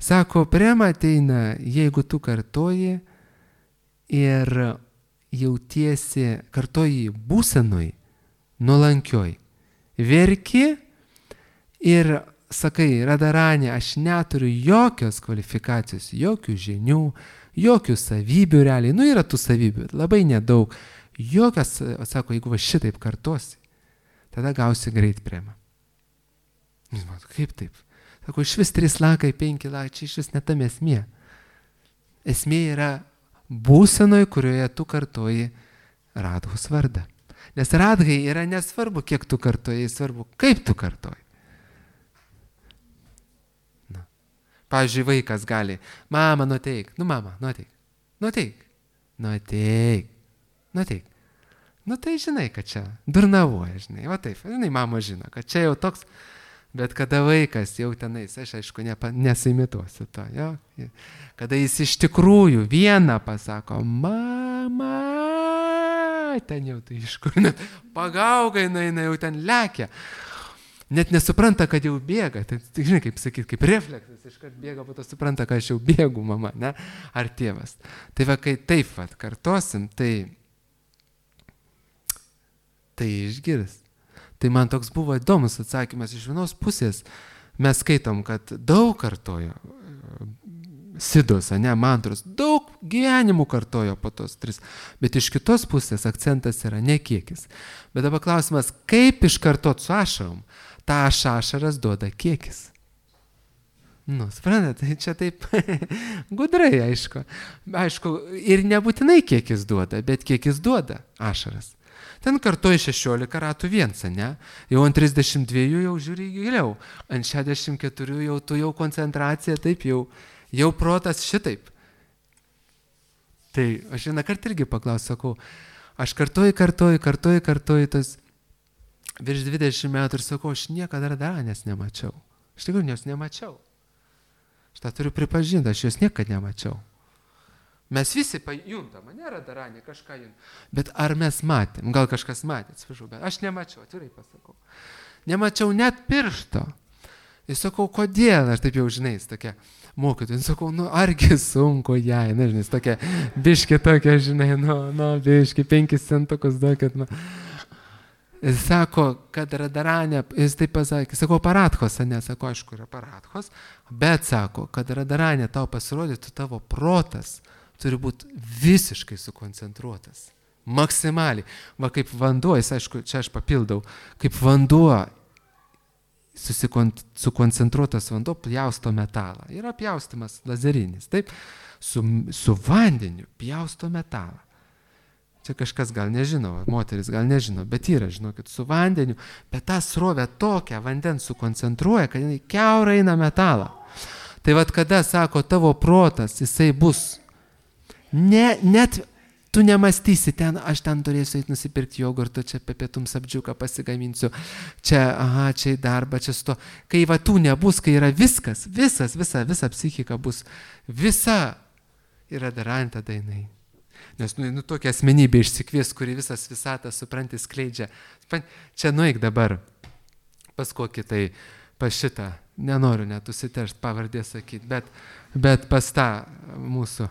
Sako, prema ateina, jeigu tu kartoji ir jautiesi kartoji būsenoj, nuolankioj. Verki ir sakai, Radharani, aš neturiu jokios kvalifikacijos, jokių žinių, jokių savybių realiai. Nu, yra tų savybių, labai nedaug. Jokios, sako, jeigu va šitaip kartosi, tada gausi greit premą. Kaip taip? Sako, iš vis 3 lakai, 5 lakai, čia iš vis netam esmė. Esmė yra būsenoj, kurioje tu kartoji Radhos vardą. Nes Radhai yra nesvarbu, kiek tu kartoji, svarbu, kaip tu kartoji. Na. Pavyzdžiui, vaikas gali, mama, nuteik, mama, nuteik. Nu tai žinai, kad čia durnavoja, žinai, va taip, žinai, mama žino, kad čia jau toks, bet kada vaikas jau tenais, aš aišku nesimituosiu to, jo, kada jis iš tikrųjų vieną pasako, mama, ten jau tai iš kur, net pagaugai, jinai jau ten lekia, net nesupranta, kad jau bėga, tai žinai, kaip sakyti, kaip refleksas, iškart bėga, po to supranta, kad aš jau bėgu, mama, ne, ar tėvas. Tai va, kai taip va, kartosim, tai išgirs. Tai man toks buvo įdomus atsakymas iš vienos pusės. Mes skaitom, kad daug kartojo sidos, ne, mantros, daug gyvenimų kartojo po tos 3. Bet iš kitos pusės akcentas yra ne kiekis. Bet dabar klausimas, kaip iškartot su ašarom? Ta ašaras duoda kiekis. Nu, suprantate, tai čia taip gudrai, aišku. Aišku, ir nebūtinai kiekis duoda, bet kiekis duoda ašaras. Ten kartoji 16 ratų viens, ne? Jau ant 32 jau žiūri giliau. Ant 64 jau tu jau koncentracija, taip jau protas šitaip. Tai aš vieną kartą irgi paklausiu, sakau, aš kartoju tas virš 20 metų ir sakau, aš niekada Radharanės nemačiau. Aš tikrai jos nemačiau. Aš tą turiu pripažinti, aš jos niekada nemačiau. Mes visi pajuntam, ne Radharanė, kažką juntam. Bet ar mes matėm? Gal kažkas matė, atsiprašau, bet aš nemačiau, atvirai pasakau. Nemačiau net piršto. Ir sakau, kodėl? Aš taip jau žinai, tokia mokytoja. Sakau, nu argi sunku jai, nežinai, tokia biški tokia, žinai, biški 5 centukus duokit. Jis sako, kad Radharanė, jis taip pasakė, sakau, Paradhos, ne, sako, aišku, yra Paradhos, bet sako, kad Radharanė tau pasirodytų, tavo protas turi būti visiškai sukoncentruotas. Maksimaliai. Va kaip vanduo, jis aišku, čia aš papildau, kaip vanduo, sukoncentruotas vanduo pjausto metalą. Yra pjaustimas lazerinis, taip? Su vandeniu pjausto metalą. Čia kažkas gal nežino, moteris gal nežino, bet yra, žinokit, su vandeniu, bet tą srovę tokią vandens sukoncentruoja, kad jinai kiaurai eina metalą. Tai vad kada, sako, tavo protas, jisai bus net tu nemastysi ten, aš ten turėsiu eiti nusipirkti jogurto, čia pietum sapdžiuką pasigaminsiu, čia į darbą, čia su to. Kai va tų nebus, kai yra viskas, visa psichika bus, visa yra Radharanė tada jinai. Nes tokia asmenybė išsikvies, kuri visas visatas, supranti, skleidžia. Čia nueik dabar pas kokį tai, pas šitą, nenoriu net užsiteršti pavardė sakyti, bet pas tą mūsų,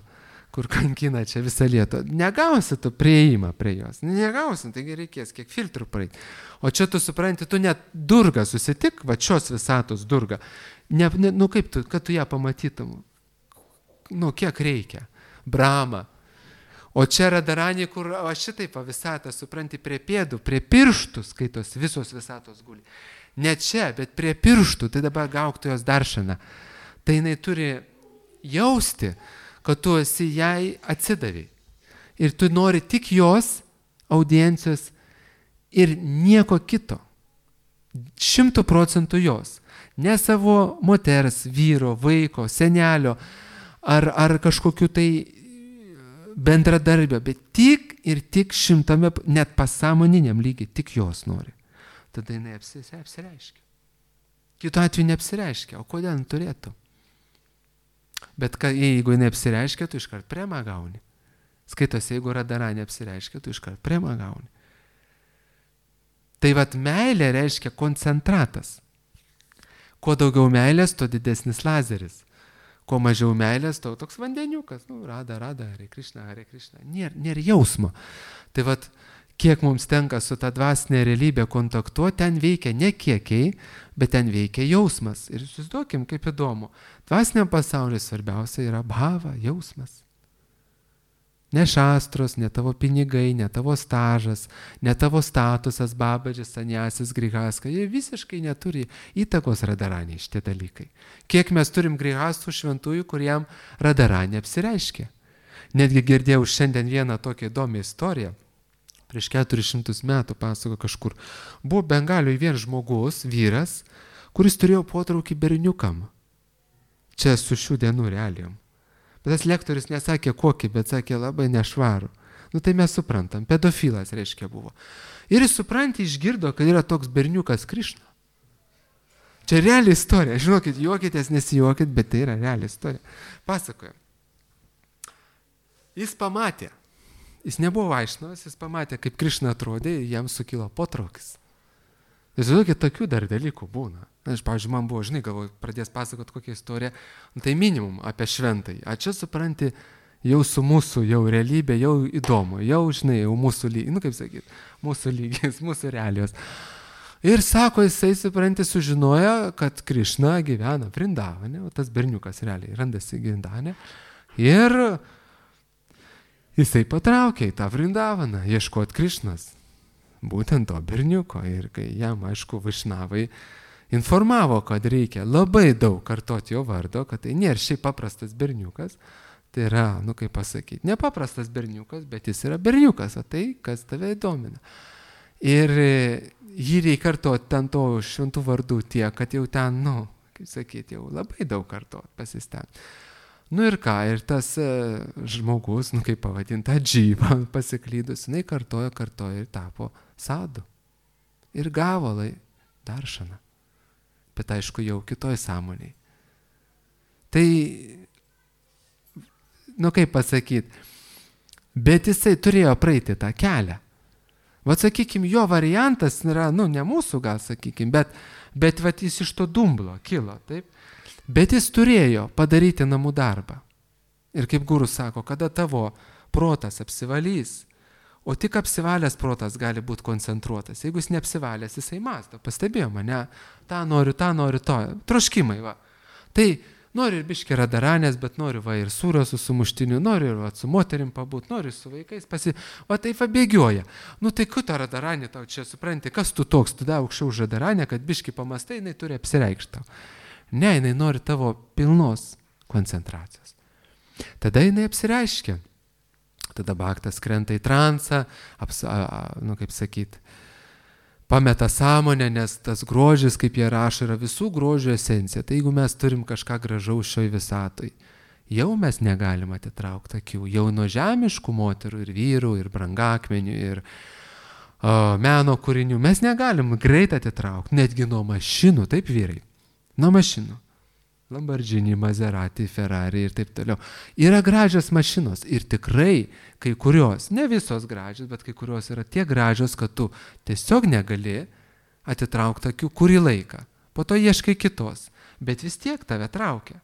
kur kankina čia visą Lietuvą. Negausi tu prieimą prie jos. Negausi, taigi reikės kiek filtrų praeiti. O čia tu supranti, tu net Durgą susitik, va šios visatos Durgą. Kaip tu, kad tu ją pamatytum? Kiek reikia? Brahma. O čia Radharanė, kur šitaip visatą, supranti, prie pėdų, prie pirštų skaitos visos visatos guli. Ne čia, bet prie pirštų, tai dabar gauk tu jos daršaną. Tai jinai turi jausti, kad tu esi jai atsidaviai. Ir tu nori tik jos audiencijos ir nieko kito. 100% jos. Ne savo moters, vyro, vaiko, senelio ar kažkokiu tai bendradarbio, bet tik ir tik 100%, net pasąmoniniam lygiai, tik jos nori. Tada jinai apsireiškia. Kitu atveju neapsireiškia. O kodėl turėtų? Bet jeigu jinai apsireiškia, tu iškart premą gauni. Skaitosi, jeigu Radharanė apsireiškia, tu iškart premą gauni. Tai vat meilė reiškia koncentratas. Kuo daugiau meilės, tuo didesnis lazeris. Kuo mažiau meilės, toks vandeniukas, rada, Hare Krishna. Nėra jausmo. Tai vat, kiek mums tenka su ta dvasinė realybė kontaktuoti, ten veikia ne kiekiai, bet ten veikia jausmas. Ir įsivaizduokim, kaip įdomu. Dvasiniam pasaulyje svarbiausia yra bhava, jausmas. Ne šastros, ne tavo pinigai, ne tavo stažas, ne tavo statusas, babadžis, sanjasis, grihaska. Jie visiškai neturi įtakos radaraniai šitie dalykai. Kiek mes turim grihastų šventųjų, kuriem radaraniai apsireiškia. Netgi girdėjau šiandien vieną tokią įdomią istoriją. Prieš 400 metų pasako kažkur. Buvo Bengalijoje vienas žmogus, vyras, kuris turėjo potraukį berniukam. Čia su šių dienų realijom. Bet tas lektorius nesakė kokį, bet sakė labai nešvarų. Tai mes suprantam, pedofilas reiškia buvo. Ir jis išgirdo, kad yra toks berniukas Krišna. Čia reali istorija. Žinokit, juokitės, nesijuokit, bet tai yra reali istorija. Pasakoja. Jis pamatė. Jis nebuvo vaišnavas, jis pamatė, kaip Krišna atrodė ir jam sukilo potraukis. Žinokit, tokių dar dalykų būna. Pavyzdžiui, man buvo, galvoju, pradės pasakoti kokią istoriją, tai minimum apie šventai. A čia supranti, jau su mūsų, jau realybė, jau įdomu, jau, jau mūsų lygis, kaip sakyti, mūsų lygis, mūsų realijos. Ir sako, jisai, supranti, sužinojo, kad Krišna gyvena Vrindavane, o tas berniukas realiai randasi Vrindavane. Ir jisai patraukė į tą Vrindavaną, ieškoti Krišnas. Būtent to berniuko. Ir kai jam, aišku, Vaišnavai informavo, kad reikia labai daug kartoti jo vardo, kad tai nėra šiaip paprastas berniukas, tai yra, kaip pasakyti, nepaprastas berniukas, bet jis yra berniukas, o tai, kas tave įdomina. Ir jį reikia kartoti ten to šventų vardų tiek, kad jau ten, kaip sakyti, jau labai daug kartoti pasistengti. Ir ką, ir tas žmogus, kaip pavadinta, džyva pasiklydus, jinai kartojo ir tapo sadu. Ir gavo daršaną. Bet aišku, jau kitoj sąmoniai. Tai, kaip pasakyti, bet jisai turėjo praeiti tą kelią. Vat, sakykime, jo variantas yra, ne mūsų gal, sakykime, bet jis iš to dumblo kilo, taip? Bet jis turėjo padaryti namų darbą. Ir kaip gurus sako, kada tavo protas apsivalys, o tik apsivalęs protas gali būti koncentruotas. Jeigu jis neapsivalęs, jisai mąsto. Pastebėjo mane, tą noriu, to. Troškimai, va. Tai noriu ir biškį radaranės, bet noriu ir sūrio su sumuštiniu, noriu ir su moterim pabūt, noriu su vaikais o taip bėgioja. Tai kuo radaranė tau čia supranti, kas tu toks, tu da aukščiau už radaranę, kad biškį pamastai, jinai turi apsireikšti. Ne, jinai nori tavo pilnos koncentracijos. Tada jinai apsireiškia. Tada bhaktas krenta į transą, kaip sakyti, pameta sąmonę, nes tas grožis, kaip jie rašo, yra visų grožio esencija. Tai jeigu mes turim kažką gražaus šioj visatoj, jau mes negalim atitraukti akių. Jau nuo žemiškų moterų ir vyrų, ir brangakmenių, ir meno kūrinių mes negalim greit atitraukti, netgi nuo mašinų, taip vyrai. Nuo mašinų. Lamborghini, Maserati, Ferrari ir taip toliau. Yra gražios mašinos ir tikrai kai kurios, ne visos gražios, bet kai kurios yra tiek gražios, kad tu tiesiog negali atitraukti akių kurį laiką. Po to ieškai kitos, bet vis tiek tave traukia.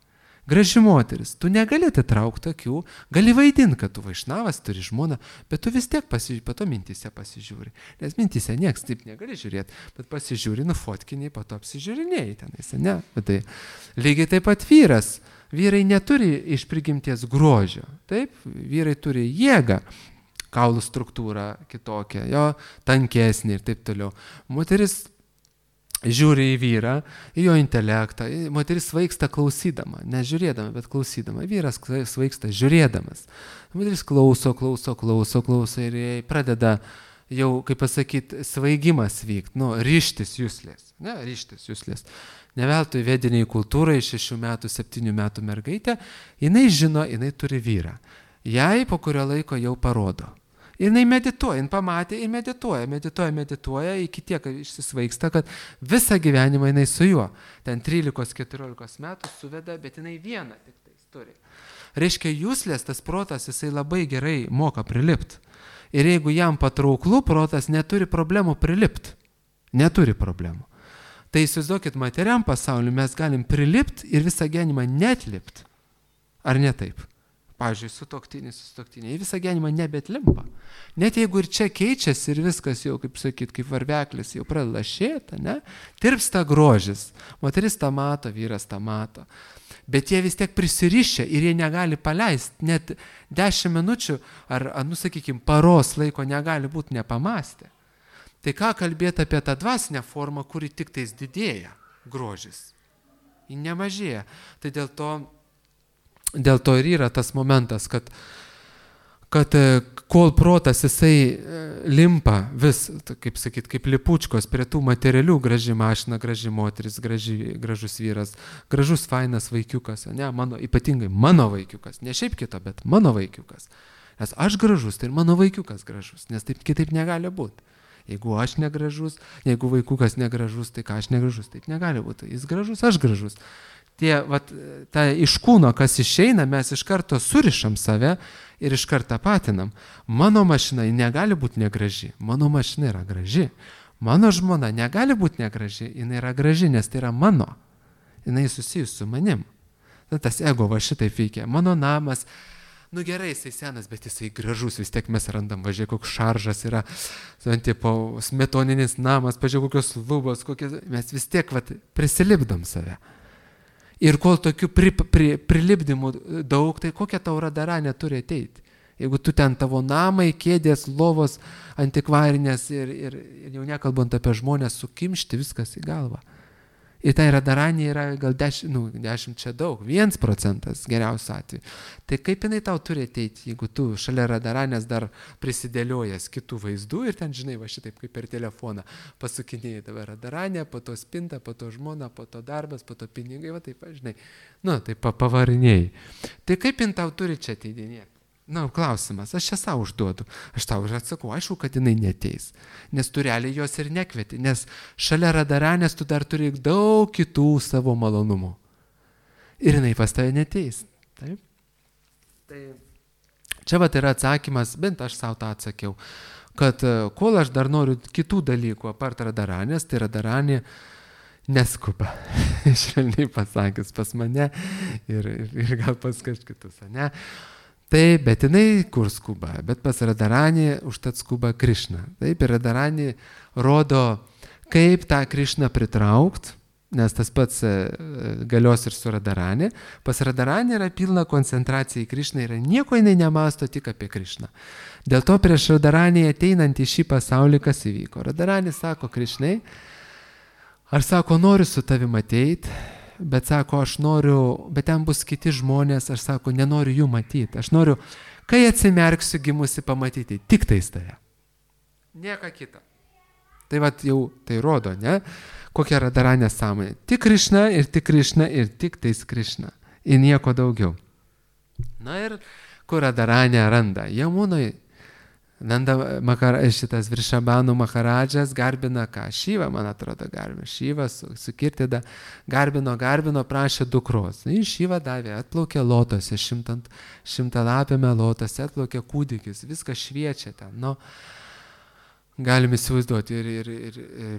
Graži moteris, tu negali atitraukti akių, gali vaidinti, kad tu vaišnavas, turi žmoną, bet tu vis tiek po to mintyse pasižiūri. Nes mintyse nieks taip negali žiūrėti, bet pasižiūri, nufotkiniai, po to apsižiūrinėjai tenais, ne? Bet tai lygiai taip pat vyras. Vyrai neturi iš prigimties grožio, taip? Vyrai turi jėgą, kaulų struktūrą kitokią, jo tankesnį ir taip toliau. Moteris žiūri į vyrą, į jo intelektą. Moteris svaigsta klausydama, ne žiūrėdama, bet klausydama. Vyras svaigsta žiūrėdamas. Moteris klauso ir jai pradeda jau, kaip pasakyti, svaigimas vykti, ryžtis juslės. Ryžtis juslės. Neveltui vediniai kultūrai 6 metų, 7 metų mergaitė, jinai žino, jinai turi vyrą. Jai po kurio laiko jau parodo. Ir jinai medituoja, jinai pamatė ir medituoja, iki tiek išsisvaigsta, kad visą gyvenimą jinai su juo. Ten 13-14 metų suveda, bet jinai vieną tik tais turi. Reiškia, juslės, tas protas, jisai labai gerai moka prilipti. Ir jeigu jam patrauklų, protas neturi problemų prilipti. Neturi problemų. Tai įsivaizduokit, materiam pasauliu mes galim prilipti ir visą gyvenimą netlipti. Ar ne taip? Pavyzdžiui, sutuoktiniai visą gyvenimą nebetlimpa. Net jeigu ir čia keičiasi ir viskas jau, kaip sakyt, kaip varveklis jau pradeda lašėti, ne? Tirpsta grožis. Moteris tą mato, vyras tą mato. Bet jie vis tiek prisirišę ir jie negali paleisti. Net 10 minučių ar, sakykime, paros laiko negali būti nepamastę. Tai ką kalbėti apie tą dvasinę formą, kuri tik tais didėja grožis. Ji nemažėja. Tai dėl to ir yra tas momentas, kad kol protas jisai limpa vis, kaip sakyt, kaip lipučkos prie tų materialių, graži mašina, graži moteris, gražus vyras, gražus fainas vaikiukas, ne, ypatingai mano vaikiukas, ne šiaip kito, bet mano vaikiukas. Nes aš gražus, tai ir mano vaikiukas gražus, nes taip kitaip negali būti. Jeigu aš negražus, jeigu vaikiukas negražus, tai ką aš negražus, taip negali būti. Jis gražus, aš gražus. Iš kūno, kas išeina, mes iš karto surišam save ir iš karto patinam. Mano mašina negali būti negraži, mano mašina yra graži. Mano žmona negali būti negraži, jinai yra graži, nes tai yra mano. Jinai susijus su manim. Tas ego va šitaip veikia. Mano namas, gerai, jisai senas, bet jisai gražus, vis tiek mes randam, važiuoja, koks šaržas yra, smetoninis namas, pažiūrėjau, kokios lubos, mes vis tiek prisilipdom save. Ir kol tokių prilipdymų daug, tai kokia tau radaranė turi ateiti? Jeigu tu ten tavo namai, kėdės, lovos, antikvarinės ir jau nekalbant apie žmonės, sukimšti viskas į galvą. Ir tai radaranė yra gal 10 čia daug, 1% geriausiu atveju. Tai kaip jinai tau turi ateiti, jeigu tu šalia radaranės dar prisidėliojas kitų vaizdų ir ten, žinai, va šitaip kaip per telefoną pasukinėjai tave radaranė, po to spinta, po to žmona, po to darbas, po to pinigai, va taip, žinai, taip pavarinėjai. Tai kaip jin tau turi čia ateidinėti? Klausimas, aš čia savo užduodu, aš tau ir atsakau, aišku, kad jinai neteis, nes tu realiai jos ir nekvieti, nes šalia radaranės tu dar turi daug kitų savo malonumų. Ir jinai pas tave neteis. Taip? Tai čia yra atsakymas, bent aš savo tą atsakiau, kad kol aš dar noriu kitų dalykų apart radaranės, tai radaranė neskuba, švelniai pasakęs pas mane ir gal pas kažkitus, ne? Taip, bet jinai kur skuba, bet pas radaranį užtat skuba Krišna. Taip, ir radaranį rodo, kaip tą Krišną pritraukt, nes tas pats galios ir su radaranė. Pas radaranį yra pilna koncentracija į Krišną ir nieko jinai nemasto tik apie Krišną. Dėl to prieš radaranį ateinant į šį pasaulį, kas įvyko. Radaranį sako Krišnai, aš sako, noriu su tavim ateit, bet sako, aš noriu, bet ten bus kiti žmonės, aš sako, nenoriu jų matyti. Aš noriu, kai atsimerksiu gimusi pamatyti, tik tais tave. Nieka kita. Tai jau tai rodo, ne? Kokia radaranė sąmonė. Tik Krišna ir tik Krišna ir tik tais Krišna. Ir nieko daugiau. Ir kur radaranė randa? Jamunoj. Šitas Vrišabhanų Maharadžas garbina ką? Šyvą, man atrodo, garbina. Šyvą su Kirtida garbino, prašė dukros. Šyvą davė, atplaukė lotose, 100-lapėme lotose, atplaukė kūdikis, viskas šviečia ten. Galim įsivaizduoti, ir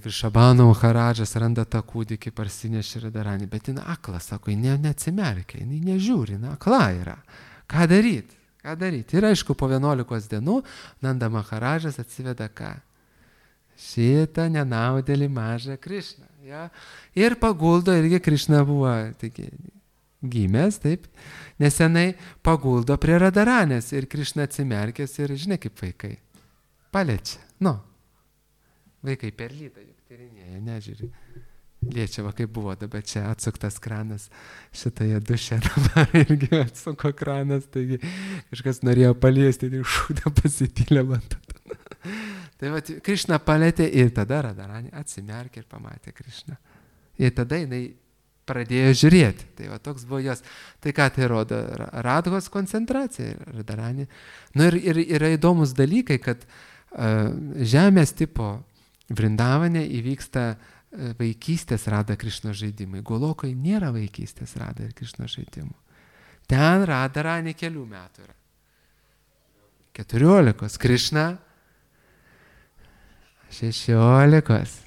Vrišabhanų Maharadžas randa tą kūdikį, parsinešė radaranį, bet jin akla, sako, jin neatsimerkia, jin nežiūri, akla yra. Ką daryti? Ir aišku, po 11 dienų Nanda Maharadžas atsiveda ką? Šitą nenaudėlį mažą Krišną. Ja? Ir paguldo, irgi Krišna buvo gimęs, taip, nesenai paguldo prie radaranės ir Krišna atsimerkęs ir, žinai, kaip vaikai. Paliečia. Vaikai per lytą juk tyrinėja, nežiūri. Liečia, kaip buvo dabar čia atsuktas kranas, šitoje duše dabar irgi atsuko kranas, taigi kažkas norėjo paliesti ir šūdą pasipylė vantatą. Tai Krišna palėtė ir tada radaranė atsimerkė ir pamatė Krišną. Ir tada jinai pradėjo žiūrėti. Tai toks buvo jos. Tai ką tai rodo? Radhos koncentracija radaranė. Ir yra įdomus dalykai, kad žemės tipo Vrindavane įvyksta vaikystės Rada Krišnos žaidimai. Golokoje nėra vaikystės Rada ir Krišnos žaidimų. Ten radaranė kelių metų yra. 14. Krišna 16.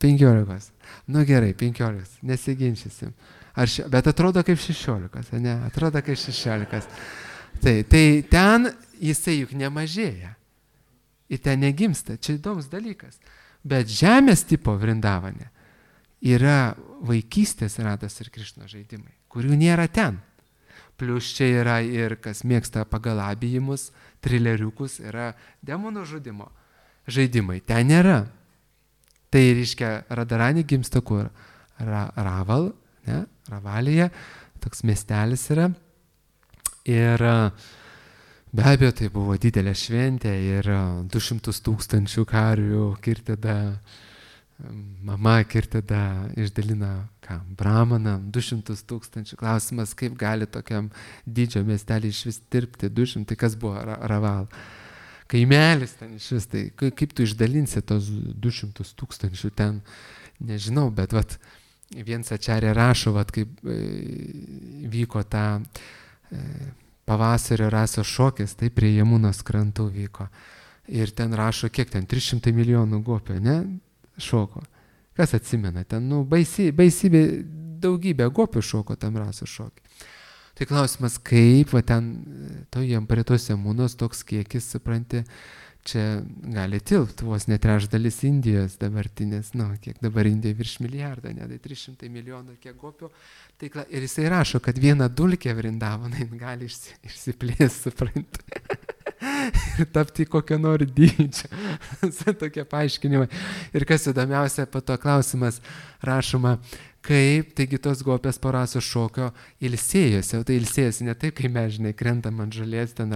15. Nu gerai, 15, nesiginčysim. Bet atrodo kaip 16, ne? Atrodo kaip 16. Tai ten jisai juk nemažėja. Ir ten negimsta. Čia įdomus dalykas. Bet žemės tipo Vrindavane yra vaikystės Rados ir Krišnos žaidimai, kurių nėra ten. Plius čia yra ir kas mėgsta pagal abijimus, trileriukus, yra demonų žudimo žaidimai. Ten nėra. Tai reiškia, Radarani gimsta kur? Raval, ne? Ravalėje, toks miestelis yra. Ir be abejo, tai buvo didelė šventė ir 200 000 karvių kirtida, mama kirtida išdalina bramaną, 200 000. Klausimas, kaip gali tokiam didžio miestelį iš vis tirpti 200, tai kas buvo Raval? Kaimelis ten iš vis, tai kaip tu išdalinsi tos 200 000 ten, nežinau, bet vat, viens Ačarė rašo, vat, kaip vyko ta pavasario rasos šokis, tai prie Jamunos krantų vyko. Ir ten rašo, kiek ten, 300 milijonų gopių, ne, šoko. Kas atsimena, ten, baisybė, daugybė gopių šoko tam rasos šokį. Tai klausimas, kaip, va ten, jam prie tos Jamunos toks kiekis, supranti, čia gali tilpti, vos ne trečdalis Indijos dabartinės, kiek dabar Indija virš milijardą, ne, tai 300 milijonų kiek gopių. Tai, ir jisai rašo, kad viena dulkė Vrindavane gali išsiplės, supranti. Ir tapti kokio nori dydžio. Tokie paaiškinimai. Ir kas įdomiausia, po to klausimas rašoma, kaip, taigi tos gopės po rasos šokio ilsėjosi. O tai ilsėjosi ne taip, kai mes, žinai, krentam ant žolės, ten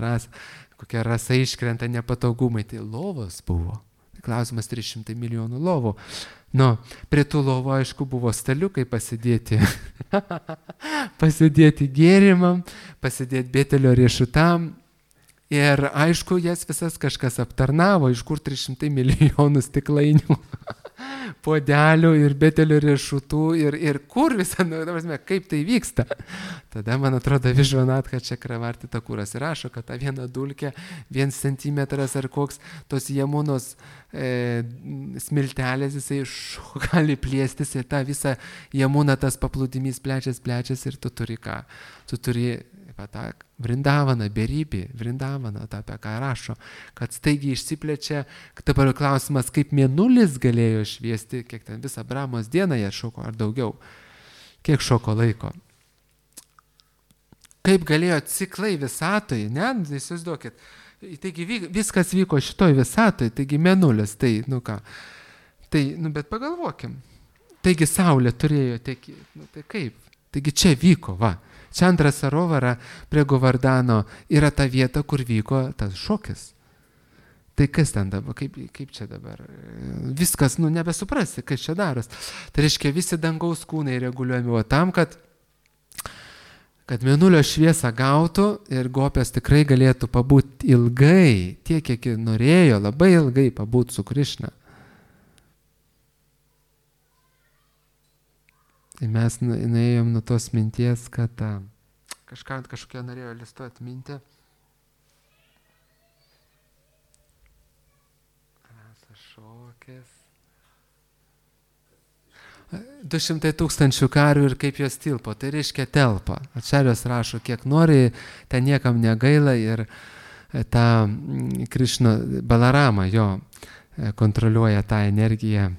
kokia rasa iškrenta, nepatogumai. Tai lovos buvo. Klausimas 300 milijonų lovų. Prie tų lovų, aišku, buvo staliukai pasidėti. Pasidėti gėrimam, pasidėti Betelio riešutam. Ir aišku, jas visas kažkas aptarnavo, iš kur 300 milijonų stiklainių, puodelių ir Betelio riešutų ir kur visą, kaip tai vyksta. Tada, man atrodo, Višvanatka Čakravarti Takuras rašo, kad ta viena dulkė, 1 centimetras ar koks tos Jamunos smiltelės, jisai gali plėstis ir tą visą Jamuną tas paplūdimys plečias ir tu turi ką? Tu turi tą Vrindavaną, beribį, Vrindavaną, tą apie ką rašo, kad staigiai išsiplečia, dabar klausimas, kaip mėnulis galėjo šviesti, kiek ten visą Brahmos dieną jie šoko, ar daugiau, kiek šoko laiko. Kaip galėjo ciklai visatoje, ne, įsivaizduokit, taigi viskas vyko šitoj visatoje, taigi mėnulis, tai, tai, bet pagalvokim, taigi Saulė turėjo tekėti, tai kaip, taigi čia vyko, va. Čandra Sarovara prie Govardano yra ta vieta, kur vyko tas šokis. Tai kas ten dabar, kaip čia dabar? Viskas, nebesuprasi, kas čia daros. Tai reiškia, visi dangaus kūnai reguliuojami, o tam, kad mėnulio šviesą gautų ir gopės tikrai galėtų pabūti ilgai, tiek, kiek norėjo, labai ilgai pabūti su Krišna. Tai mes nuėjom nuo tos minties, kad kažkokia norėjo iliustruoti mintį. Šokis. 200 000 karių ir kaip jos tilpo. Tai reiškia telpa. Ačarjos rašo, kiek nori, ten niekam negaila ir tą Krišna Balaramą jo kontroliuoja tą energiją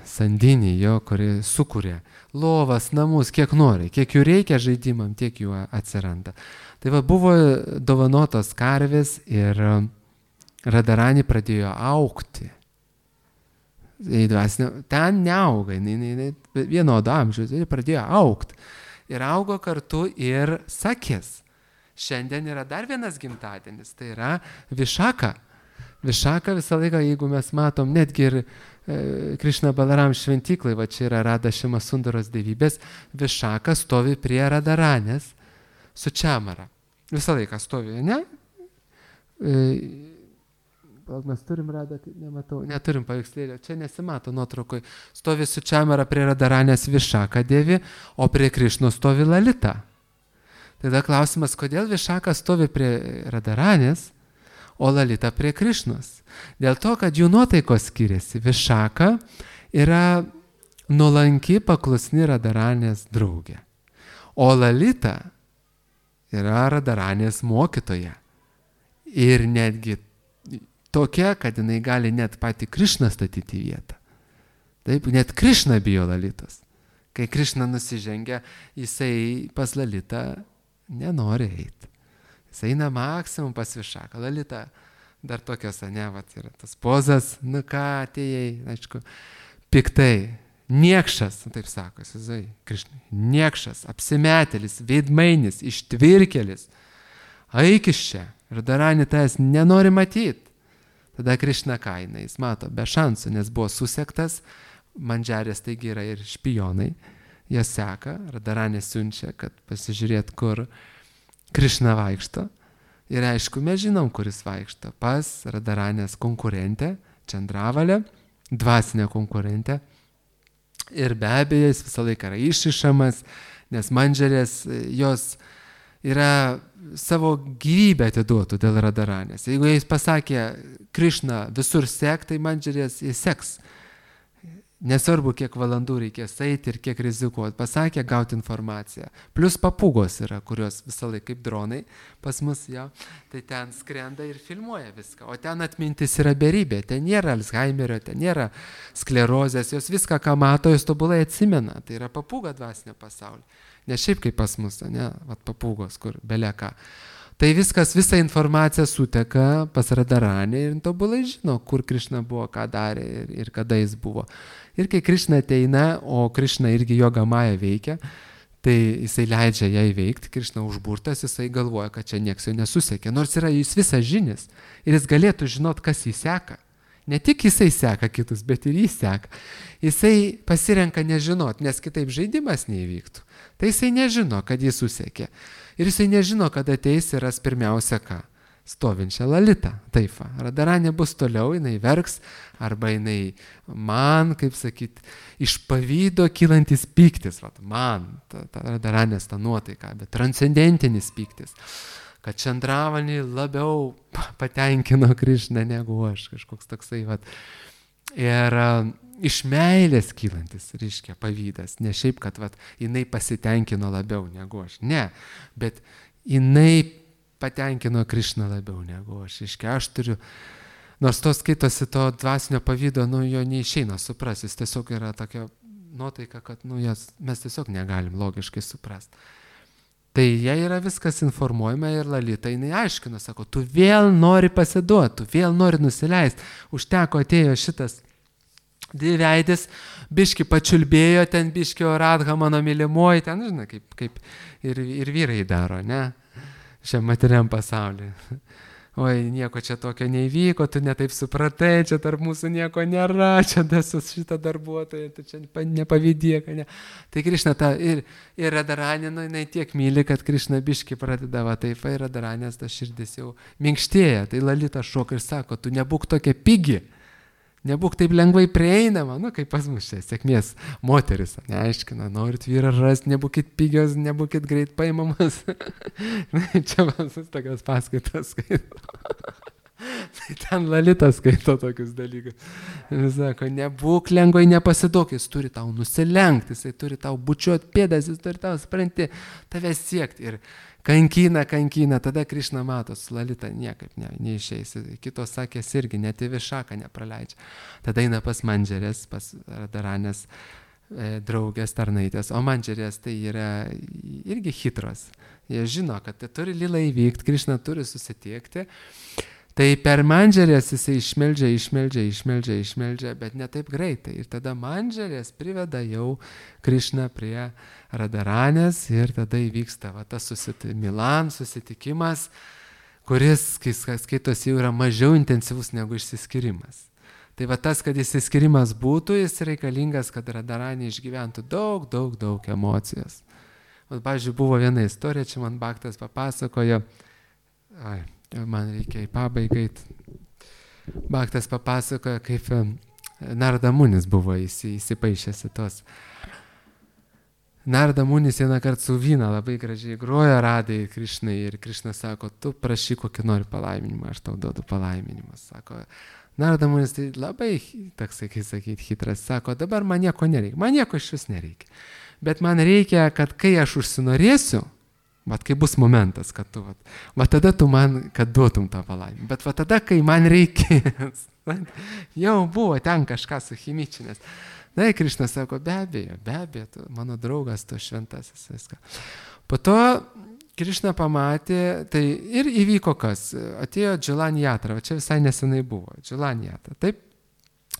sandinį jo, kuri sukūrė lovas, namus, kiek nori, kiek jų reikia žaidimam, tiek jų atsiranda. Tai va, buvo dovanotos karvės ir Radarani pradėjo augti. Ten neauga, vienodo amžiaus, pradėjo augti. Ir augo kartu ir Sakės. Šiandien yra dar vienas gimtadienis, tai yra Višaka. Višaka visą laiką, jeigu mes matom, netgi ir Krišna Balaram šventyklai, va čia yra Rada Šima Sundaros dievybės, Višaka stovi prie Radaranės su Čamara. Visą laiką stovi, ne? Mes turim Radą, nematau, neturim paveikslėlio, čia nesimato nuotraukoj. Stovi su Čamara prie Radaranės Višaka dievi, o prie Krišnos stovi Lalita. Tada klausimas, kodėl Višaka stovi prie Radaranės, o Lalita prie Krišnos. Dėl to, kad jų nuotaikos skiriasi. Višaka yra nuolanki paklusni Radharanės draugė. O Lalita yra Radharanės mokytoja. Ir netgi tokia, kad jinai gali net patį Krišną statyti į vietą. Taip, net Krišna bijo Lalitos. Kai Krišna nusižengia, jisai pas Lalitą nenori eiti. Jis eina maksimum pas Višaką. Lalita dar tokios, ne, vat yra tas pozas, nu ką, atėjai, aišku, piktai, niekšas, taip sako, Jėzui, Krišnai, niekšas, apsimetėlis, veidmainis, ištvirkelis, eik iš čia, Radharani tavęs nenori matyti. Tada Krišna kaina, jis mato, be šansų, nes buvo susektas, Mandžarės taigi yra ir špionai, jie seka, Radharani siunčia, kad pasižiūrėt, kur Krišna vaikšto. Ir aišku, mes žinom, kuris vaikšto. Pas Radharanės konkurentę, Čandravalę, dvasinę konkurentę. Ir be abejo, jis visą laiką yra išišamas, nes Mandžarės jos yra savo gyvybę atiduotų dėl Radharanės. Jeigu jis pasakė, Krišna visur sek, tai Mandžarės jis seks. Nesvarbu, kiek valandų reikės eiti ir kiek rizikuoti. Pasakė gauti informaciją. Plus papūgos yra, kurios visą laiką kaip dronai pas mus, jo, tai ten skrenda ir filmuoja viską. O ten atmintis yra beribė. Ten nėra Alzheimerio, ten nėra sklerozės. Jos viską, ką mato, jos tobulai atsimena. Tai yra papūga dvasinio pasaulio. Ne šiaip kaip pas mus, ne, vat papūgos, kur beleka. Tai viskas, visa informacija suteka pas Radharanį ir tobulai žino, kur Krišna buvo, ką darė ir kada jis buvo. Ir kai Krišna ateina, o Krišna irgi Jogamaja veikia, tai jisai leidžia ją įveikti, Krišna užburtas, jisai galvoja, kad čia nieks jo nesusekė, nors yra jis visas žinis ir jis galėtų žinot, kas jį seka. Ne tik jisai seka kitus, bet ir jis seka. Jisai pasirenka nežinot, nes kitaip žaidimas neįvyktų. Tai jisai nežino, kad jis susekė. Ir jisai nežino, kad ateis ir ras pirmiausia ką? Stovinčią Lalitą. Taip, Radharanė bus toliau, jinai verks, arba jinai man, kaip sakyti, iš pavydo kylantis pyktis. Vat, man, Radharanės ta nuotaika, bet transcendentinis pyktis. Kad Čandravalį labiau patenkino Krišną negu aš, kažkoks toksai. Vat. Ir iš meilės kylantis, reiškia, pavydas. Ne šiaip, kad vat, jinai pasitenkino labiau negu aš. Ne, bet jinai patenkino Krišną labiau negu aš. Reiškia, aš turiu, nors to skaitosi to dvasinio pavydo, nu jo neišeina suprasti. Jis tiesiog yra tokia nuotaika, kad nu, mes tiesiog negalim logiškai suprasti. Tai jai yra viskas informuojama ir Lalita jinai aiškina, sako, tu vėl nori pasiduoti, tu vėl nori nusileisti. Užteko atėjo šitas dviveidis, biški pačiulbėjo, ten biški Radha mano mylimoji, ten, žinai, kaip ir vyrai daro, ne, šiam materiam pasaulyje. Oi, nieko čia tokio neįvyko, tu netaip supratai, čia tarp mūsų nieko nėra, čia dasus šitą darbuotoją, tu čia nepavydėk, ne. Tai Krišna ta ir Radharanė, nu, jinai tiek myli, kad Krišna biški pradeda, va taip, ir Radharanės ta širdis jau minkštėja. Tai Lalita šoka ir sako, tu nebūk tokia pigi, nebūk taip lengvai prieinama, nu, kaip pas mus čia, sėkmės moteris, neaiškina, norit vyrą rasti, nebūkit pigios, nebūkit greit paimamas. Čia visus tokios paskaitas skaito. Tai ten Lalita skaito tokius dalykus. Jis sako, nebūk lengvai, nepasiduok, jis turi tau nusilenkti, jis turi tau bučiuoti pėdas, jis turi tau, supranti, tave siekti. Ir kankina, tada Krišna mato, su Lalita niekaip neišeis. Kitos sakės irgi, net į Višaką nepraleidžia. Tada eina pas Mandžarės, pas Radharanės draugės tarnaitės. O Mandžarės tai yra irgi hitros. Jie žino, kad tai turi lila įvykti, Krišna turi susitiekti. Tai per Mandžarės jisai išmeldžia, bet ne taip greitai. Ir tada Mandžarės priveda jau Krišną prie Radharanės ir tada įvyksta va, tas Milan susitikimas, kuris, kai skaitos, jau yra mažiau intensyvus negu išsiskyrimas. Tai va tas, kad išsiskyrimas būtų, jis reikalingas, kad Radharanė išgyventų daug emocijos. O, pavyzdžiui, buvo viena istorija, čia man Bhaktas papasakojo, man reikia į pabaigą. Bhaktas papasakojo, kaip Narada Munis buvo įsipaišęs į tos. Narada Munis vieną kartą su vyna labai gražiai grojo Radai Krišnai ir Krišna sako, tu prašyk kokį nori palaiminimą, aš tau duodu palaiminimus. Sako, Nardamunis tai labai, toksai, kaip sakyti, hitras, sako, dabar man nieko nereikia, man nieko iš vis nereikia. Bet man reikia, kad kai aš užsinorėsiu, vat kai bus momentas, kad tu, vat tada tu man, kad duotum tą palaimą. Bet vat tada, kai man reikės, jau buvo ten kažką suchimičinės. Na, Krišnas sako, be abejo, tu, mano draugas, tu šventasis, viską. Po to Krišna pamatė, tai ir įvyko kas, atėjo Džiulanjatra, čia visai nesenai buvo, Džiulanjatra, taip,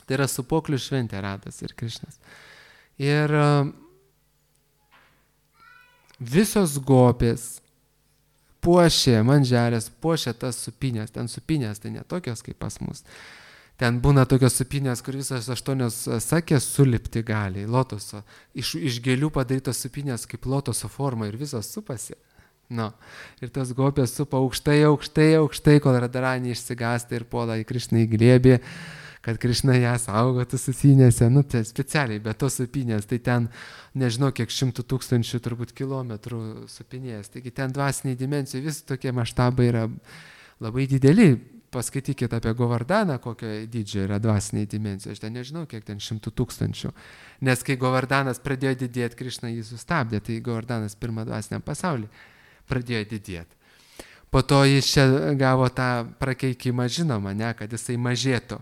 tai yra supoklių šventė Radas ir Krišnas. Ir visos gopės puošė manželės, puošė tas supinės, ten supinės, tai ne tokios kaip pas mus. Ten būna tokios supinės, kur visos 8 sakės sulipti gali, lotoso, iš gėlių padarytos supinės kaip lotoso forma ir visos supasi. No. Ir tos gopės supa aukštai, kol Radharani išsigąsta ir puola į Krišną į glėbį, kad Krišna ją saugotų supinėse, nu tai specialiai, bet tos supinės, tai ten nežinau kiek 100 000 turbūt kilometrų supinės, taigi ten dvasiniai dimensijai vis tokie maštabai yra labai dideli. Paskaitykite apie Govardaną, kokio dydžio yra dvasiniai dimensijai. Aš ten nežinau, kiek ten 100 000. Nes kai Govardanas pradėjo didėti, Krišna jį sustabdė, tai Govardanas pirmą dvasiniam pasaulį pradėjo didėti. Po to jis čia gavo tą prakeikimą, žinoma, ne, kad jisai mažėtų.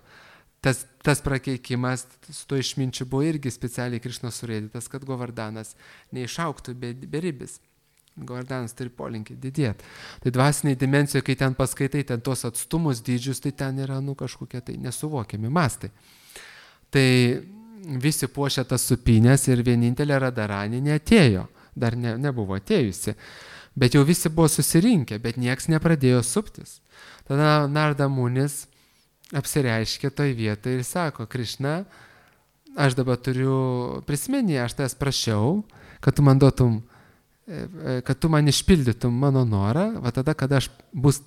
Tas prakeikimas su to išminčiu buvo irgi specialiai Krišnos surėdytas, kad Govardanas neišauktų beribis. Govardanas turi polinkį didėti. Tai dvasiniai dimensijoje, kai ten paskaitai, ten tos atstumus dydžius, tai ten yra kažkokie tai nesuvokiami mastai. Tai visi puošia tas supinės ir vienintelė Radharani neatėjo, dar nebuvo atėjusi. Bet jau visi buvo susirinkę, bet nieks nepradėjo suptis. Tada Nardamunis apsireiškė toj vietoje ir sako, Krišna, aš dabar turiu prisiminti, aš tavęs prašiau, kad tu man duotum, kad tu man išpildytum mano norą, va tada, kada bus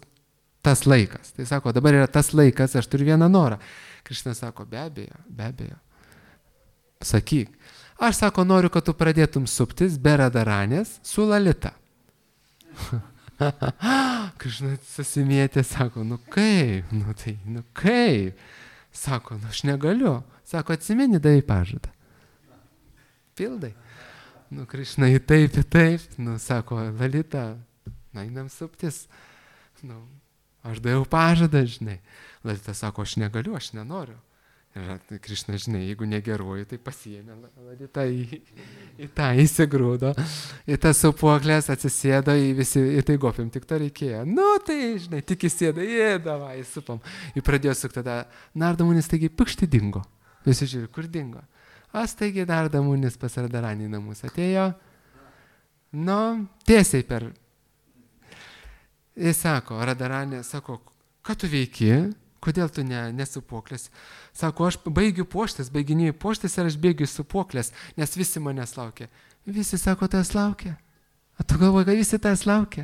tas laikas. Tai sako, dabar yra tas laikas, aš turiu vieną norą. Krišna sako, be abejo. Sakyk. Aš sako, noriu, kad tu pradėtum suptis be Radharanės su Lalita. Krišna susimėtė, sako, kaip? Sako, aš negaliu. Sako, atsimeni, davai pažadą. Pildai. Krišna į taip, sako, Lalita, einam suptis. Aš daviau pažadą, žinai. Lalita sako, aš negaliu, aš nenoriu. Ir Krišna, žinai, jeigu negeruoju, tai pasiėmė Lalita į tą įsigrūdo, į tas supuoklės atsisėdo, į tai gopėm, tik to reikėjo. Tai, žinai, tik įsėdo, davai, supam. Ir pradėjo sukti tada, Nardamunis taigi pukšti dingo. Visi žiūri, kur dingo. Taigi Nardamunis pas Radharanį namus atėjo, tiesiai per. Jis sako, Radharanė, sako, ką tu veiki? Kodėl tu nesupuoklės? Sako, aš baiginėjau puoštis ir aš bėgiu supuoklės, nes visi manęs laukia. Visi, sako, tas laukia. O tu galvoji, kad visi tas laukia?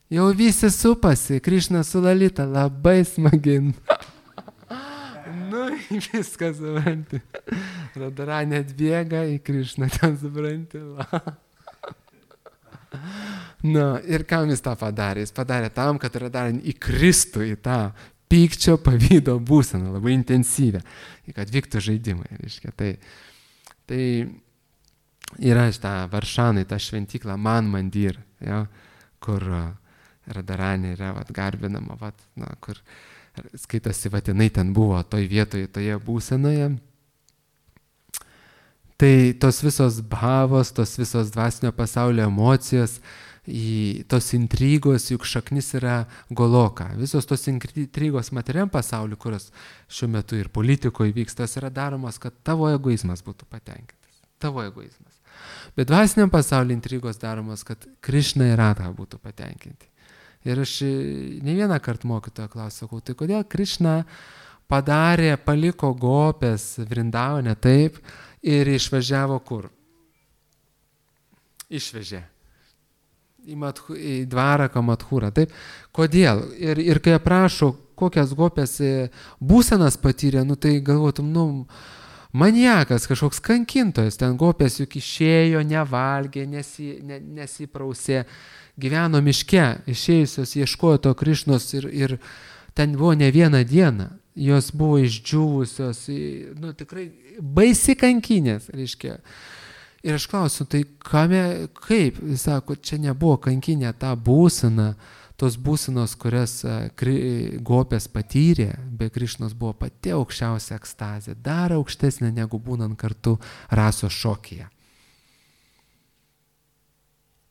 Jau visi supasi, Krišna su Lalita, labai smagiai. Viskas, supranti. Radharanė atbėga į Krišną, ten supranti. Ir kam jis tą padarė? Jis padarė tam, kad Radharanė įkristų į tą pykčio pavydo būseną, labai intensyvę, kad vyktų žaidimai. Reiškia. Tai yra šitą Varšanai, tą šventyklą Man Mandir, kur Radharanė yra garbinama, kur skaitosi, jinai ten buvo toj vietoje, toje būsenoje. Tai tos visos bhavos, tos visos dvasinio pasaulio emocijos, tos intrigos, juk šaknis yra Goloka. Visos tos intrigos materialiam pasauliu, kurios šiuo metu ir politikoje vyksta, yra daromos, kad tavo egoizmas būtų patenkintas. Tavo egoizmas. Bet dvasiniam pasauliu intrigos daromos, kad Krišna ir Radha būtų patenkinti. Ir aš ne vieną kartą mokytoją klausiau, tai kodėl Krišna paliko gopės Vrindavane taip ir išvažiavo kur? Išvežė. Į Dvaraką Madhūrą, taip? Kodėl? Ir kai aprašo, kokias gopės būsenas patyrė, tai galvotum, maniakas, kažkoks kankintojas, ten gopės juk išėjo, nevalgė, nesiprausė, gyveno miške, išėjusios, ieškojo to Krišnos ir ten buvo ne vieną dieną. jos buvo išdžiūvusios, tikrai baisi kankinės, reiškia. Ir aš klausiu, tai kaip? Jis sako, čia nebuvo kankinė ta būsena, tos būsenos, kurias Gopės patyrė, be Krišnos buvo pati aukščiausia ekstazė, dar aukštesnė negu būnant kartu rasos šokyje.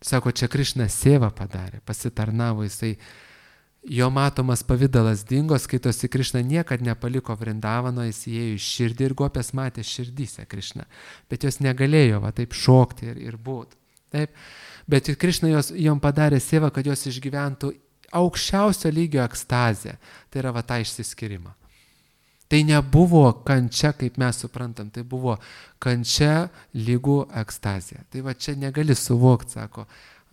Sako, čia Krišna sėvą padarė, pasitarnavo, jo matomas pavidalas dingo, skaitosi Krišna niekad nepaliko Vrindavano, jis įėjo į širdį ir Gopės matė širdyse Krišną, bet jos negalėjo taip šokti ir būti. Taip? Bet Krišna jom padarė sėvą, kad jos išgyventų aukščiausio lygio ekstazę, tai yra tą išsiskyrimą. Tai nebuvo kančia, kaip mes suprantam, tai buvo kančia lygų ekstazė. Tai čia negali suvokti, sako,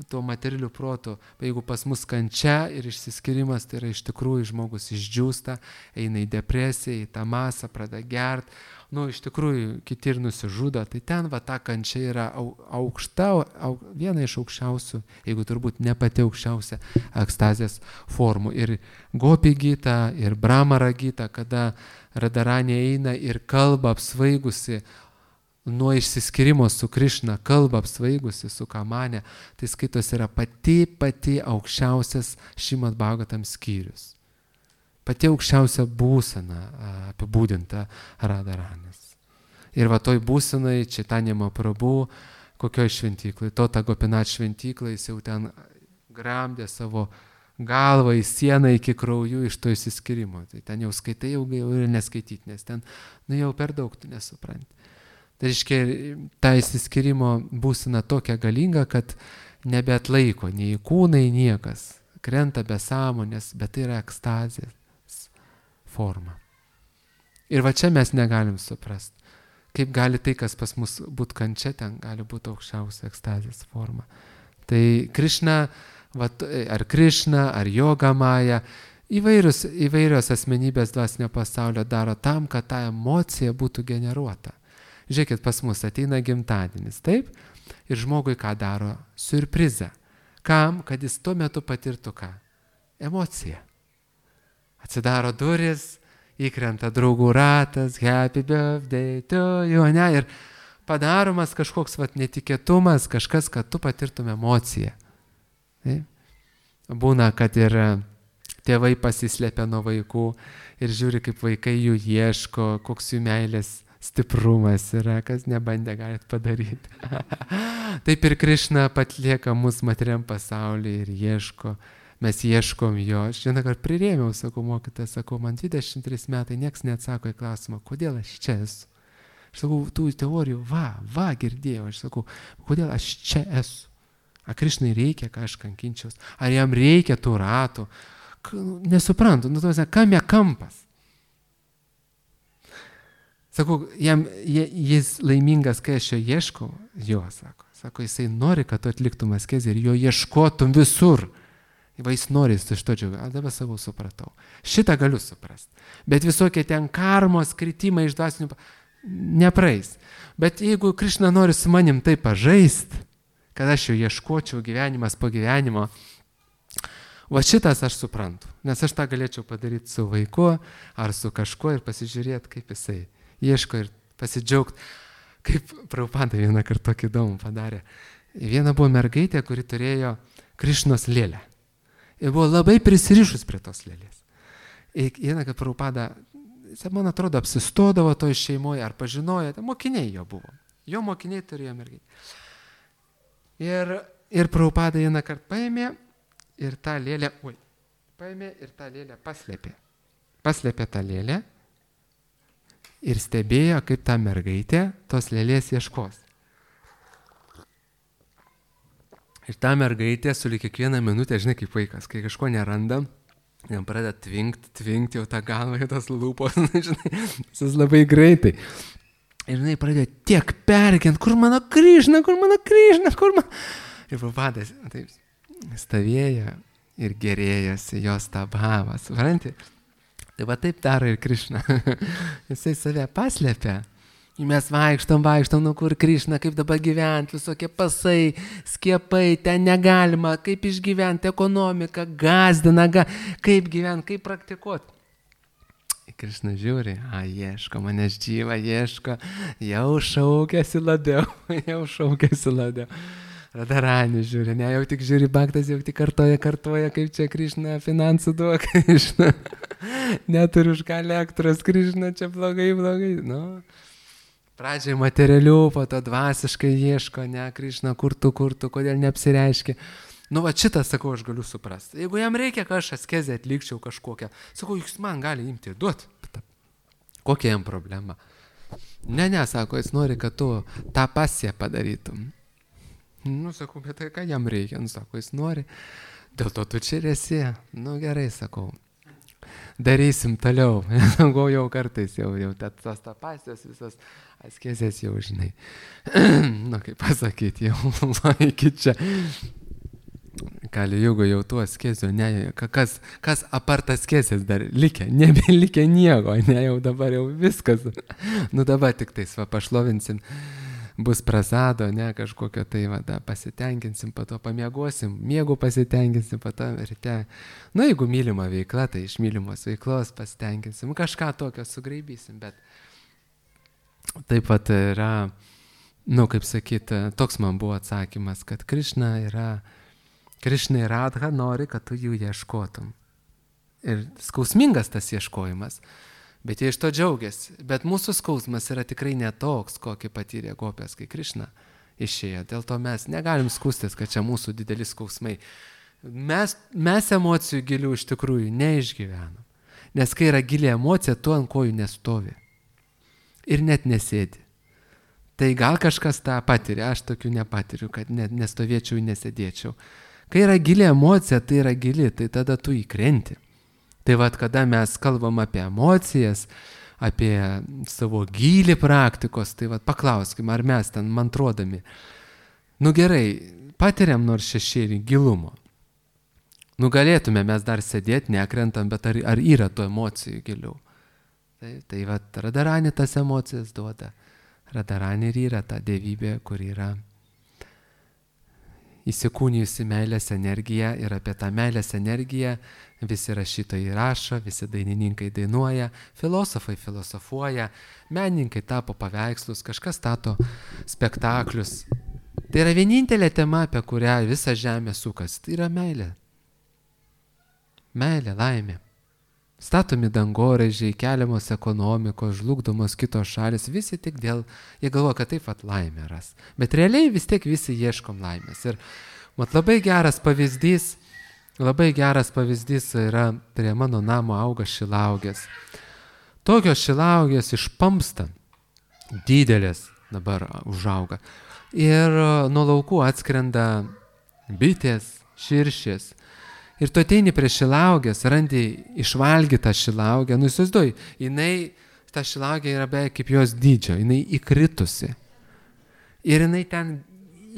tuo materialiu protu, jeigu pas mus kančia ir išsiskyrimas, tai yra iš tikrųjų žmogus išdžiūsta, eina į depresiją, į tą masą, pradeda gert, iš tikrųjų kiti ir nusižudo, tai ten ta kančia yra viena iš aukščiausių, jeigu turbūt ne pati aukščiausia ekstazės formų. Ir Gopi Gita, ir Brahmara Gita, kada Radharani eina ir kalba apsvaigusi, nuo išsiskyrimo su Krišna, kalba apsvaigusi su Kamane, tai skaitos yra pati aukščiausias Šrimad Bhagavatam skyrius. Pati aukščiausia būsena apibūdinta Radharanis. Ir toj būsenai Chaitanya Mahaprabhu, kokioj šventyklai, Tota Gopinath šventyklai, jis jau ten gramdė savo galvą į sieną iki kraujų iš to išsiskyrimo. Tai ten jau skaitai, jau ir neskaityti, nes ten jau per daug tu nesupranti. Tai reiškia, ta išsiskyrimo būsena tokia galinga, kad nebeatlaiko nei kūnai, niekas. Krenta be sąmonės, bet tai yra ekstazės forma. Ir čia mes negalim suprasti, kaip gali tai, kas pas mus būtų kančia, ten gali būti aukščiausia ekstazės forma. Tai Krišna, ar Krišna, ar Yoga Maja, įvairios asmenybės dvasinio pasaulio daro tam, kad ta emocija būtų generuota. Žiūrėkit, pas mus ateina gimtadienis, taip? Ir žmogui ką daro? Siurprizą. Kam? Kad jis tuo metu patirtų ką? Emociją. Atsidaro duris, įkrenta draugų ratas, happy birthday to you, ir padaromas kažkoks netikėtumas, kažkas, kad tu patirtum emociją. Taip? Būna, kad ir tėvai pasislėpia nuo vaikų ir žiūri, kaip vaikai jų ieško, koks jų meilės stiprumas yra, kas nebandė galit padaryti. Taip ir Krišna patlieka mus materiam pasaulyje ir ieško, mes ieškom jo. Aš vieną kartą prirėmiau, sakau, mokytojas, sakau, man 23 metai, nieks neatsako į klausimą, kodėl aš čia esu. Aš sakau, tų teorijų, girdėjau, aš sakau, kodėl aš čia esu. Ar Krišnai reikia, ką aš kankinčiaus, ar jam reikia tų ratų. Nesuprantu, kam jie kampas. Sakau, jis laimingas, kai aš jo ieškau, sako, jisai nori, kad tu atliktum askezę ir jo ieškotum visur. Jis nori, jis iš to džiaugia. Dabar savo supratau. Šitą galiu suprasti. Bet visokie ten karmos, kritimai iš dvasinių nepraeis. Bet jeigu Krišna nori su manim taip pažaisti, kad aš jo ieškočiau gyvenimas po gyvenimo, šitas aš suprantu. Nes aš tą galėčiau padaryti su vaiku ar su kažkuo ir pasižiūrėti, kaip jisai ieško ir pasidžiaugti, kaip Prabhupada vieną kartą tokį įdomų padarė. Viena buvo mergaitė, kuri turėjo Krišnos lėlę. Ir buvo labai prisirišus prie tos lėlės. Ir vieną kartą Prabhupada, man atrodo, apsistodavo toj šeimoje, ar pažinojo, mokiniai jo buvo. Jo mokiniai turėjo mergaitę. Ir Prabhupada vieną kartą paėmė ir tą lėlę, paslėpė. Paslėpė tą lėlę. Ir stebėjo, kaip ta mergaitė tos lėlės ieškos. Ir ta mergaitė sulig kiekvieną minutę, žinai, kaip vaikas, kai kažko neranda, jam pradeda tvinkti jau tą galvą, tos lūpos, žinai, jis labai greitai. Ir žinai, pradėjo tiek perkint, kur mano Krišna. Ir Prabhupadas taip stovėjo ir gerėjosi jos tą bhavą, supranti? Tai taip daro ir Krišna. Jisai save paslėpia. Mes vaikštom, kur Krišna, kaip dabar gyventi, visokie pasai, skiepai, ten negalima, kaip išgyventi, ekonomika, gazdina, kaip gyventi, kaip praktikuoti. Krišna žiūri, ieško, manęs džyva ieško, jau šaukėsi labiau. Radharani žiūri, ne, jau tik žiūri Bhaktas, jau tik kartoja, kaip čia Krišna finansų duok, Krišna. Neturiu už ką elektros, Krišna, čia blogai. Nu, pradžiai materialių, po to dvasiškai ieško, ne, Krišna, kur tu, kodėl neapsireiškia. Nu, va šitą, sakau, aš galiu suprasti. Jeigu jam reikia, kad aš askezę atlikčiau kažkokią, sakau, jūs man gali imti ir duoti. Kokia jam problema? Ne, sako, jis nori, kad tu tą pasiją padarytum. Nu, sakau, bet tai ką jam reikia? Nu, sako, jis nori. Dėl to tu čia esi. Nu, gerai, sakau. Darysim toliau. Jau kartais, jau tas pasijos visas askezės jau žinai. Nu, kaip pasakyti, jau iki čia. Kali Jugo jau tų askezių, ne, kas apart askezės dar likę, nebelikę nieko, ne, jau dabar jau viskas. Nu dabar tik tais pašlovinsim, bus prasado, ne, kažkokio tai pasitenkinsim, po to pamiegosim, miegų pasitenkinsim, po to ryte. Nu jeigu mylima veikla, tai iš mylimos veiklos pasitenkinsim, kažką tokio sugraibysim, bet taip pat yra, nu kaip sakyti, toks man buvo atsakymas, kad Krišna ir Radha nori, kad tu jų ieškotum. Ir skausmingas tas ieškojimas, bet jie iš to džiaugiasi. Bet mūsų skausmas yra tikrai netoks, kokį patyrė gopės, kai Krišna išėjo. Dėl to mes negalim skūstis, kad čia mūsų dideli skausmai. Mes emocijų gilių iš tikrųjų neišgyvenam. Nes kai yra gili emocija, tu ant kojų nestovi. Ir net nesėdi. Tai gal kažkas tą patiria, aš tokių nepatiriu, kad nestovėčiau ir nesėdėčiau. Kai yra gili emocija, tai yra gili, tai tada tu įkrenti. Tai vad, kada mes kalbam apie emocijas, apie savo gilį praktikos, tai vad paklauskim, ar mes ten mantrodami, nu gerai, patiriam nors šešėlį gilumo. Nu galėtume mes dar sėdėti, nekrentam, bet ar yra tų emocijų giliau. Tai vad, Radharani tas emocijas duoda. Radharani ir yra ta dievybė, kur yra įsikūnijusi meilės energija, ir apie tą meilės energiją visi rašytojai rašo, visi dainininkai dainuoja, filosofai filosofuoja, menininkai tapo paveikslus, kažkas stato spektaklius. Tai yra vienintelė tema, apie kurią visa žemė sukas, tai yra meilė. Meilė, laimė. Statomi dangoraižiai, keliamos ekonomikos, žlugdomos kitos šalis, visi tik dėl, jie galvoja, kad taip pat laimė ras. Bet realiai vis tiek visi ieškom laimės. Ir labai geras pavyzdys yra, prie mano namo auga šilaugės. Tokios šilaugės išpampsta, didelės dabar užauga. Ir nuo laukų atskrenda bitės, širšės. Ir tu ateini prie šilaugės, randi išvalgytą šilaugę, nu įsivaizduoji, ta šilaugė yra beveik kaip jos dydžio, jinai įkritusi. Ir jinai ten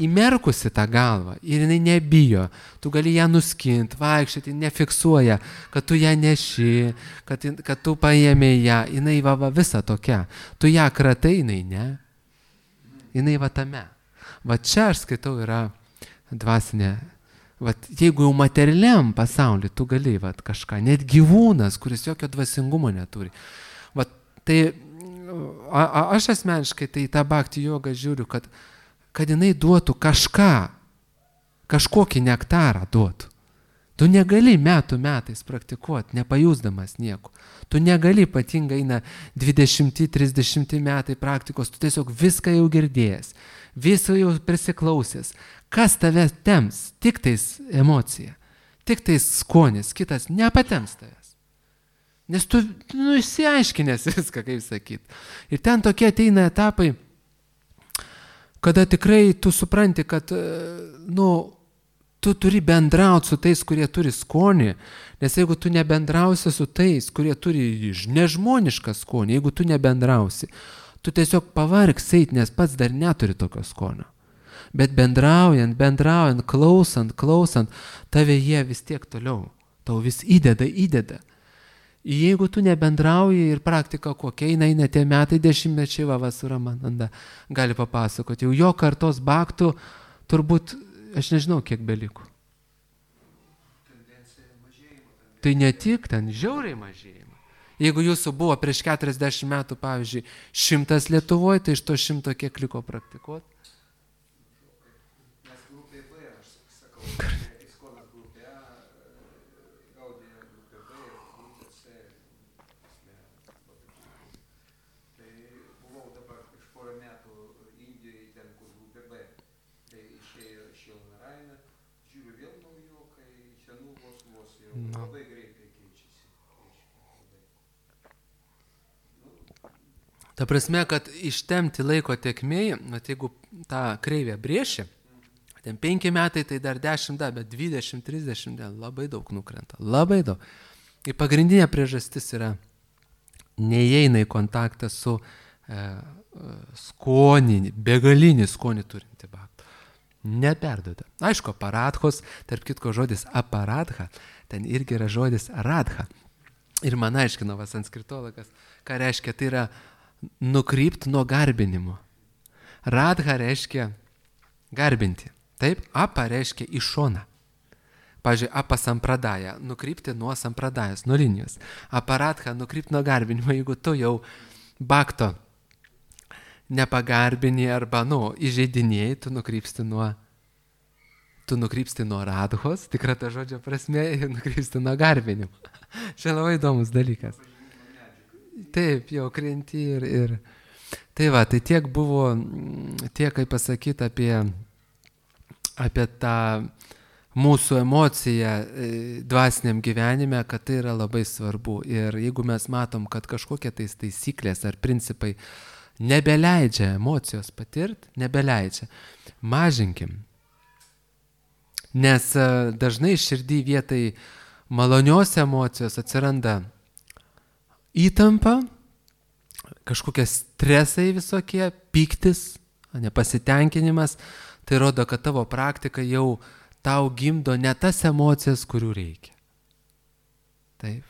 įmerkusi tą galvą, ir jinai nebijo, tu gali ją nuskinti, vaikščioti, nefiksuoja, kad tu ją neši, kad tu paėmė ją, jinai visa tokia. Tu ją kratai, jinai ne. Jinai tame. Va čia aš skaitau yra dvasinė. Jeigu jau materialiam pasaulyje tu gali kažką, net gyvūnas, kuris jokio dvasingumo neturi. Tai aš asmeniškai tai tą bhakti jogą žiūriu, kad jinai duotų kažkokį nektarą duotų. Tu negali metais praktikuoti, nepajusdamas nieko. Tu negali ypatingai eina 20-30 metai praktikos, tu tiesiog viską jau girdėjęs, visą jau prisiklausęs. Kas tave temps? Tik tais emocija, tik tais skonis, kitas nepatems tavęs. Nes tu išsiaiškinęs viską, kaip sakyti. Ir ten tokie ateina etapai, kada tikrai tu supranti, kad tu turi bendrauti su tais, kurie turi skonį, nes jeigu tu nebendrausi su tais, kurie turi nežmonišką skonį, jeigu tu nebendrausi, tu tiesiog pavargsi eit, nes pats dar neturi tokio skonio. Bet bendraujant, klausant, tave jie vis tiek toliau, tau vis įdeda. Jeigu tu nebendrauji ir praktika kokia, eina tie metai, dešimtmečiai, Suramananda gali papasakoti, jau jo kartos bhaktų turbūt, aš nežinau, kiek beliko. Tai ne tik ten žiauriai mažėjimą. Jeigu jūsų buvo prieš 40 metų, pavyzdžiui, 100 Lietuvoje, tai iš to 100 kiek liko praktikuoti? Mes grupė B, aš sakau, Iskonas grupė A, Gaudija grupė B, grupė C. Tai buvau dabar prieš porą metų Indijoje, ten kur grupė B. Tai išėjo Šilnaraina, žiūriu vėl naujokai, senų vos jau labai greitai keičiasi. Ta prasme, kad ištemti laiko tekmėje, jeigu tą kreivę brėši, ten 5 metai, tai dar 10, bet 20-30 labai daug nukrenta. Labai daug. Ir pagrindinė priežastis yra, neįeina į kontaktą su skoninį, begalinį skonį turinti baktų. Neperduoda. Aišku, aparadhos, tarp kitko žodis aparadha, ten irgi yra žodis radha. Ir man aiškino sanskritologas, ką reiškia, tai yra nukrypti nuo garbinimo. Radha reiškia garbinti. Taip, apa reiškia į šoną. Pavyzdžiui, apa sampradaja, nukrypti nuo sampradajas, nuo linijos. Aparadha, nukrypti nuo garbinimo, jeigu tu jau bakto nepagarbini arba, įžeidinėjai, tu nukrypsti nuo radhos, tikra ta žodžio prasme, ir nukrypsti nuo garbinimo. Čia labai įdomus dalykas. Taip, jau krenti ir... Tai va, tai tiek buvo, kaip pasakyti apie tą mūsų emociją dvasiniam gyvenime, kad tai yra labai svarbu. Ir jeigu mes matom, kad kažkokie taisyklės ar principai nebeleidžia emocijos patirti, nebeleidžia, mažinkim. Nes dažnai širdį vietai malonios emocijos atsiranda įtampa, kažkokie stresai visokie, pyktis, nepasitenkinimas, tai rodo, kad tavo praktika jau tau gimdo ne tas emocijas, kurių reikia. Taip.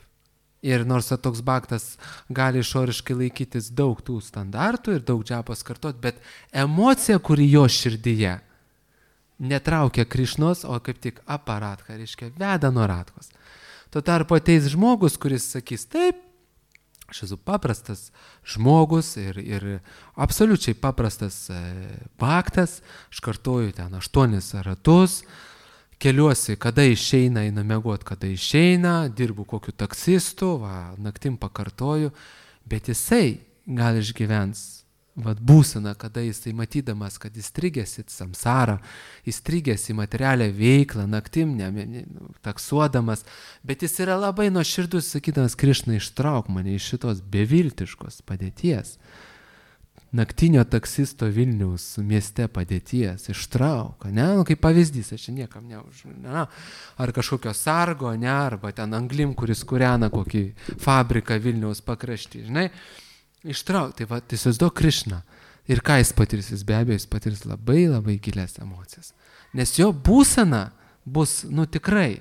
Ir nors toks baktas gali išoriškai laikytis daug tų standartų ir daug džapos kartot, bet emocija, kuri jo širdyje, netraukia Krišnos, o kaip tik aparatką, reiškia, veda nuo ratkos. Tuo tarpu ateis žmogus, kuris sakys, taip, aš esu paprastas žmogus ir absoliučiai paprastas baktas, aš kartoju ten 8 ratus, keliuosi, kada išeina, einu miegot, kada išeina, dirbu kokiu taksistu, naktim pakartoju, bet jisai gal išgyvens būseną, kada jisai matydamas, kad įstrigęs į samsarą, įstrigęs į materialią veiklą, naktim taksuodamas, bet jis yra labai nuoširdus, sakydamas, Krišna, ištrauk mane iš šitos beviltiškos padėties, naktinio taksisto Vilniaus mieste padėties, ištrauk, kaip pavyzdys, aš čia niekam ar kažkokio sargo, arba ten anglim, kuris kūrena kokį fabriką Vilniaus pakraštį, žinai, ištrauk, tai įsivaizduok Krišną. Ir ką jis patirs? Jis be abejo, jis patirs labai labai gilias emocijas. Nes jo būsena bus, tikrai,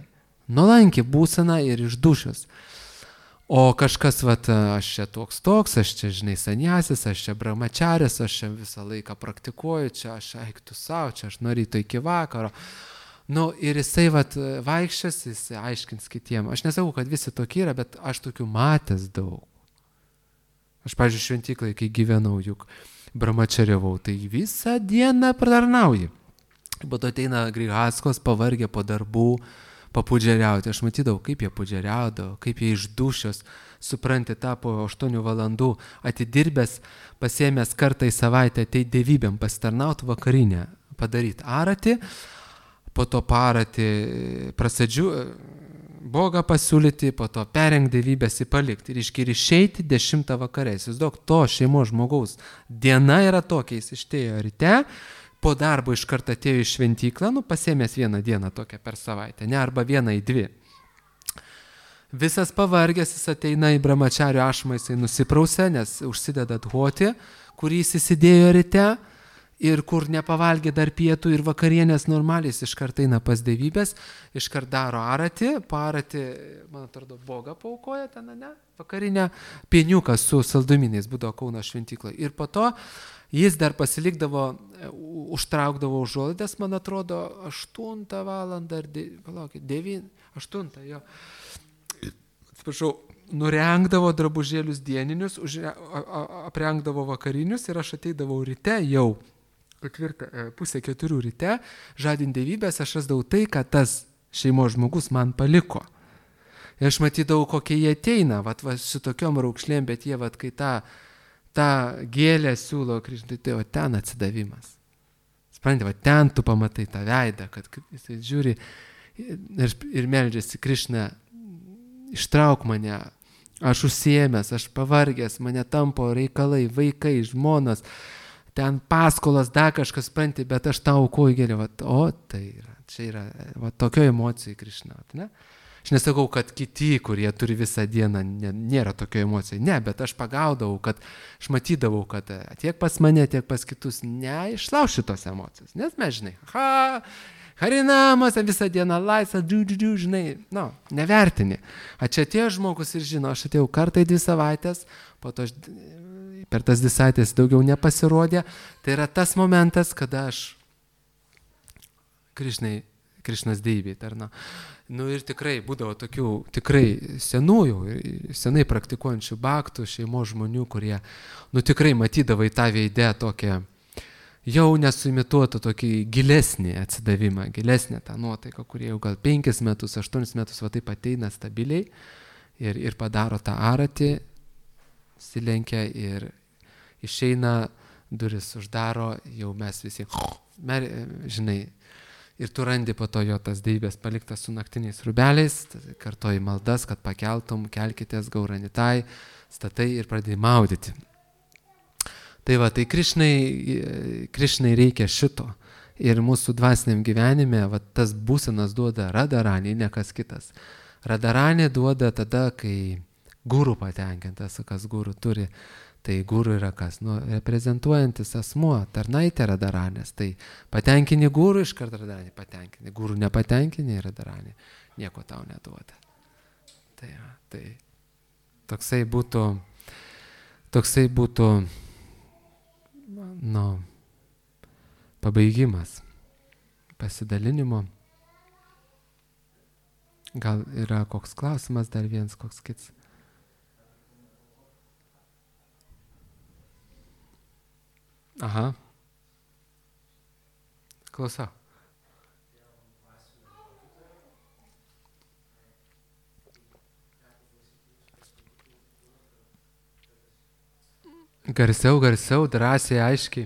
nuolanki būsena ir iš dušios. O kažkas, aš čia toks, aš čia, žinai, sanjasis, aš čia brahmačaris, aš čia visą laiką praktikuoju, čia aš eiktų savo, čia aš nuo ryto iki vakaro. Ir jisai vaikščias, jis aiškins kitiem. Aš nesakau, kad visi tokie yra, bet aš tokių matęs daug. Aš, pavyzdžiui, šventyklai, kai gyvenau, juk brahmačariavau, tai visą dieną pratarnauji. Po to ateina grihaskos, pavargę po darbų, papudžiariauti. Aš matydavau, kaip jie pudžiariaudavo, kaip jie iš dušios, supranti, tapo 8 valandų atidirbęs, pasiėmęs kartą į savaitę, ateit dievybėm pasitarnauti vakarinę, padaryti aratį, po to paratį Bogą pasiūlyti, po to perengti dievybės į palikti ir išeiti 10 vakare. Įsivaizduok, to šeimos žmogaus diena yra tokia, jis ištėjo ryte, po darbo iš karto atėjo į šventyklą, pasiėmęs 1 dieną tokią per savaitę, arba 1 į 2. Visas pavargęs, jis ateina į brahmačario ašmą, jisai nusiprausia, nes užsideda dhoti, kurį jis įsidėjo ryte, ir kur nepavalgė dar pietų ir vakarienės normaliai, jis iškart eina pas dievybės, iškart daro aratį, paratį, man atrodo, Bogą paukoja ten, vakarinę, pieniuką su saldumynais, būdavo Kauno šventykloje. Ir po to jis dar pasilikdavo, užtraukdavo užuolaidas, man atrodo, 8 valandą, 9, 8, jo. Atsiprašau, nurengdavo drabužėlius dieninius, aprengdavo vakarinius ir aš ateidavau ryte jau, 3:30 ryte, žadint dievybės, aš rasdavau tai, ką tas šeimos žmogus man paliko. Ir aš matydavau, kokie jie ateina, su tokiom raukšlėm, bet jie, kai tą gėlę siūlo Krišnai, tai ten atsidavimas. Supranti, ten tu pamatai tą veidą, kad jisai žiūri ir meldžiasi, Krišna, ištrauk mane, aš užsiėmęs, aš pavargęs, mane tampo reikalai, vaikai, žmonos, ten paskolas, dar kažkas, supranti, bet aš tau aukoju gėlę, tai yra, čia yra, tokio emocijų Krišna, ne? Aš nesakau, kad kiti, kurie turi visą dieną, nėra tokio emocijų. Ne, bet aš pagaudavau, aš matydavau, kad tiek pas mane, tiek pas kitus neišlauš šitos emocijos. Nes mes, žinai, harinamas, visą dieną laisvą, žinai, nevertini. Čia atėjo žmogus ir žino, aš atėjau kartą į 2 savaitės, po to per tas 2 savaitės daugiau nepasirodė. Tai yra tas momentas, kada aš Krišnos deivė tarna. Ir tikrai būdavo tokių tikrai senai praktikuojančių baktų, šeimos žmonių, kurie, tikrai matydavo į tą veidę tokią, jau nesuimituotą tokį gilesnį atsidavimą, gilesnę tą nuotaiką, kurie jau gal 5 metus, 8 metus taip ateina stabiliai ir padaro tą aratį, silenkia ir išeina, duris uždaro, jau mes visi, žinai, ir tu randi po to jo tas deivės paliktas su naktiniais rūbeliais, kartoji maldas, kad pakeltum, kelkitės, gauranitai, statai ir pradėjai maudyti. Tai Krišnai reikia šito. Ir mūsų dvasiniam gyvenime tas būsenas duoda Radharani, ne kas kitas. Radharani duoda tada, kai guru patenkintas, kas guru turi. Tai guru yra kas? Reprezentuojantis asmuo, tarnaitė Radharanės. Tai patenkini guru, iškart Radharanį patenkini. Guru nepatenkini, Radharanį nieko tau neduoda. Tai toksai būtų pabaigimas pasidalinimo. Gal yra koks klausimas, dar vienas koks kits? Aha. Klausau. Garsiau, drąsiai, aiškiai.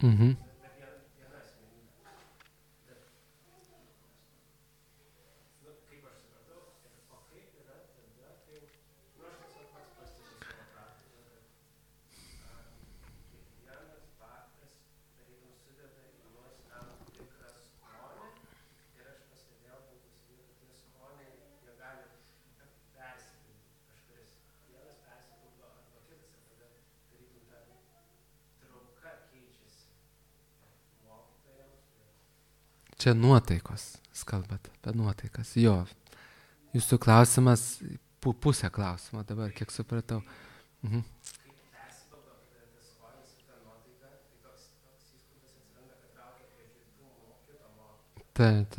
Mhm. Čia nuotaikos, kalbat apie nuotaikas. Jo, jūsų klausimas, pusę klausimo dabar, kiek supratau. Mhm. Taip.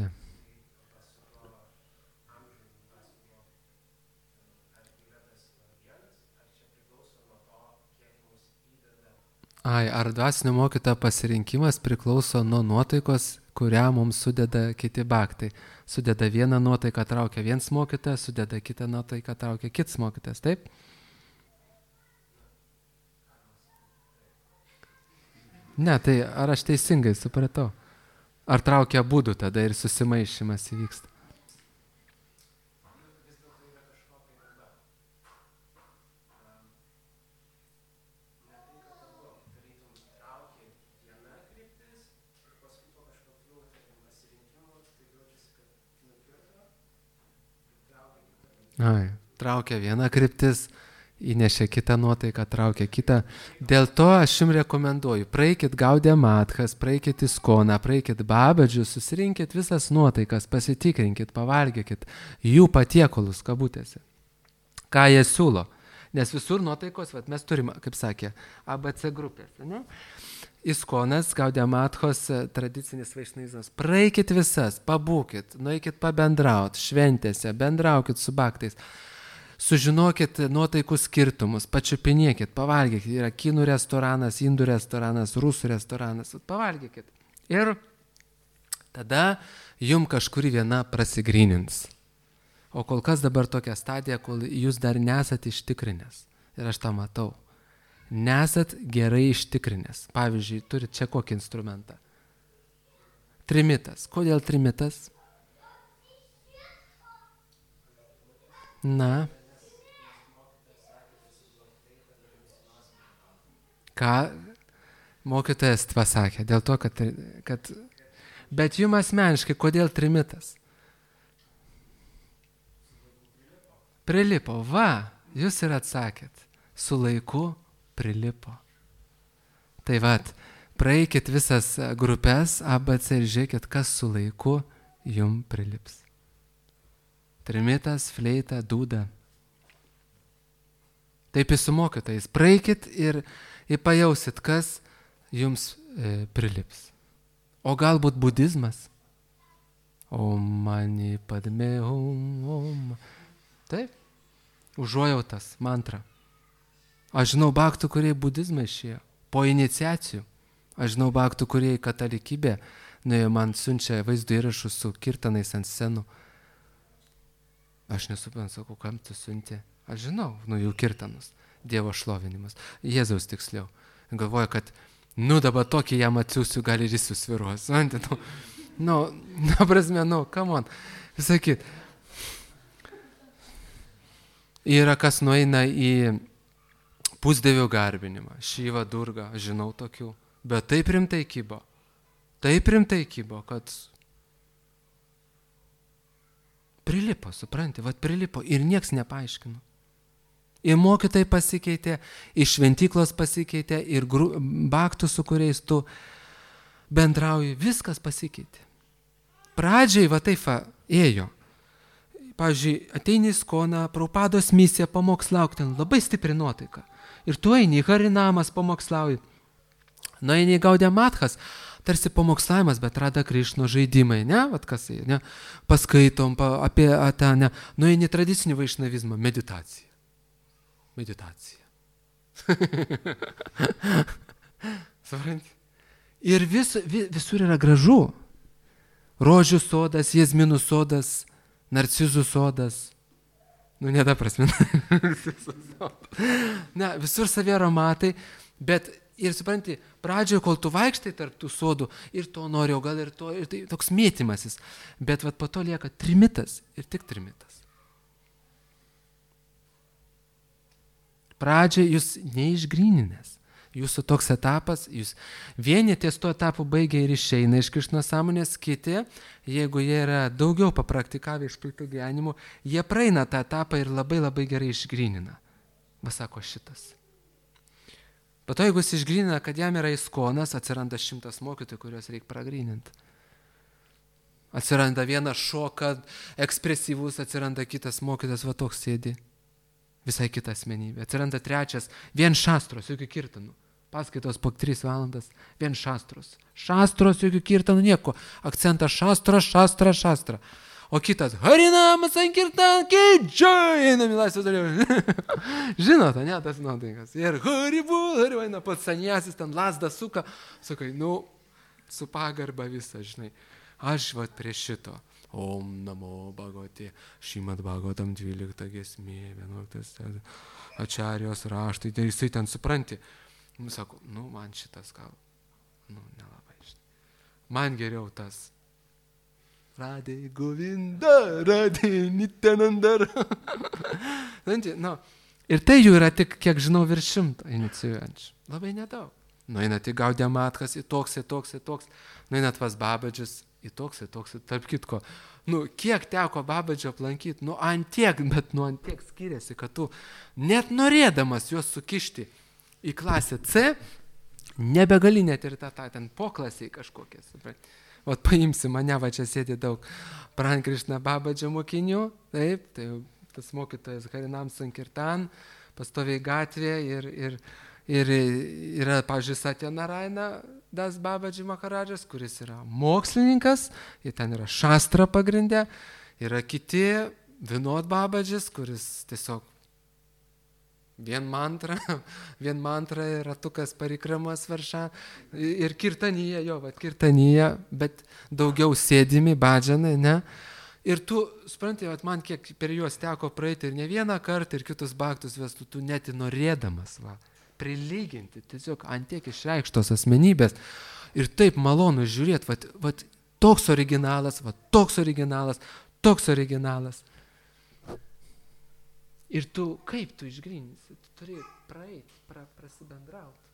Ar dvasinio mokytojo pasirinkimas priklauso nuo nuotaikos, kurią mums sudeda kiti baktai. Sudeda vieną nuotaiką, traukia vienas mokytojas, sudeda kitą nuotaiką, traukia kitas mokytojas, taip? Ne, tai ar aš teisingai supratau? Ar traukia abudu tada ir susimaišymas įvyksta? Traukia viena kryptis įnešė kitą nuotaiką, traukė kitą. Dėl to aš jums rekomenduoju, praeikit Gaudė Matkas, praeikit Iskoną, praeikit Babedžius, susirinkit visas nuotaikas, pasitikrinkit, pavalgykit jų patiekalus kabutėse. Ką jie siūlo. Nes visur nuotaikos, mes turime, kaip sakė, ABC grupės. Ne? Iskonas, Gaudė Matkos, tradicinis vaišnizmas. Praeikit visas, pabūkit, nueikit pabendraut, šventėse, bendraukit su baktais. Sužinokit nuotaikų skirtumus, pačiupinėkit, pavalgykit. Yra kinų restoranas, indų restoranas, rusų restoranas. Pavalgykit. Ir tada jum kažkuri viena prasigrynins. O kol kas dabar tokia stadija, kol jūs dar nesat ištikrinęs. Ir aš tą matau. Nesat gerai ištikrinęs. Pavyzdžiui, turit čia kokį instrumentą. Trimitas. Kodėl trimitas? Na. Ką mokytojas pasakė? Dėl to, kad... Bet jums asmeniškai, kodėl trimitas? Prilipo. Va, jūs ir atsakėt. Su laiku prilipo. Tai vat, praeikit visas grupės ABC ir žiūrėkit, kas su laiku jum prilips. Trimitas, fleita, dūda. Taip su mokytojais. Praeikit ir pajausit, kas jums prilips. O galbūt budizmas. Om mani padme om. Taip. Užuojautas, mantra. Aš žinau baktų, kurie budizmą išėjo. Po iniciacijų. Aš žinau baktų, kurie į katalikybę nuėjo, man siunčia vaizdo įrašus su kirtanais ant scenų. Aš nesuprantu, sakau, kam tu siuntė. Aš žinau, jų kirtanus. Dievo šlovinimas. Jėzaus tiksliau. Galvoja, kad, dabar tokį jam atsiųsiu, gal ir jis susviruos. Prasme, come on. Sakyt. Yra kas nueina į pusdevio garbinimą. Šyva, Durga, žinau tokių. Bet taip rimtai kybo. Kad prilipo, supranti, prilipo ir nieks nepaaiškino. Ir mokytojai pasikeitė, iš šventyklos pasikeitė, ir baktų, su kuriais tu bendrauji, viskas pasikeitė. Pradžiai taip ėjo. Pavyzdžiui, ateini į Iskoną, Prabhupados misija, pamokslauk ten, labai stipri nuotaika. Ir tu eini į Harinamas, pamokslauji. Eini į Gaudė Matkas, tarsi pamokslavimas, bet Rada Krišno žaidimai, ne? Paskaitom apie tą, ne? Eini į tradicinį vaišnavizmą, meditaciją. Supranti? Ir visur yra gražu. Rožių sodas, jazminų sodas, narcizų sodas. Ne ta prasme. Ne, visur savi aromatai, bet ir supranti, pradžioje, kol tu vaikštai tarp tų sodų, ir to nori, o gal ir to, ir tai toks mėtymasis. Bet po to lieka trimitas ir tik trimitas. Pradžiai jūs neišgryninęs. Jūsų toks etapas, jūs vieni ties tuo etapu baigia ir išeina iš Krišnos sąmonės, kiti, jeigu jie yra daugiau papraktikavę išpiltų gyvenimų, jie praeina tą etapą ir labai labai gerai išgrynina. Sako šitas. Po to, jeigu jis išgrynina, kad jam yra Iskonas, atsiranda 100 mokytojų, kuriuos reikia pragryninti. Atsiranda vienas šoka, ekspresyvus, atsiranda kitas mokytas, toks sėdi. Visai kita asmenybė. Atsiranda trečias, vien šastros, jokių kirtanų. Paskaitos po 3 valandas, vien šastros. Šastros, jokių kirtanų, nieko. Akcentas šastra. O kitas, Harinamas Sankirtan, Kidžai, einam į laisvės dalyvą. Žinote, ne, tas nuotaikas. Ir Haribul, eina pats saniasis, ten lasdą suka. Sakai, su pagarba visą, žinai. Aš prie šito. Om namo Bhagavate, Šrimad Bhagavatam 12 giesmė, 11 Ačarijos raštai, ir jisai ten supranti. Sako, man šitas gal, nelabai žinai. Man geriau tas. Radhe Govinda, Radhe Nityananda. Ir tai jų yra tik, kiek žinau, virš 100 inicijuojančių. Labai nedaug. Einat į Gaudė Matkas, į toks. Einat pas Babedžius. Tarp kitko, kiek teko Babadžio aplankyti, ant tiek, bet ant tiek skiriasi, kad tu net norėdamas juos sukišti į klasę C, nebegali net ir ten poklasiai kažkokie, supranti. Vat paimsi mane, va čia sėdi daug Prankrišna Babadžio mokinių, taip, tai tas mokytojas Harinam Sankirtan, pastoviai gatvė ir yra, pavyzdžiui, Satya Narayana Das Babadži Maharadžas, kuris yra mokslininkas, ir ten yra šastra pagrindė, yra kiti Vinod Babadžis, kuris tiesiog vien mantra ir ratukas parikramas varša, ir kirtanyje, bet daugiau sėdimi, badžanai, ne? Ir tu, supranti, man kiek per juos teko praeiti ir ne vieną kartą, ir kitus baktus vestų, tu net norėdamas, prilyginti, tiesiog ant tiek išreikštos asmenybės. Ir taip malonu žiūrėti, toks originalas. Ir tu, kaip tu išgryninsi, tu turi praeiti, prasibendrauti.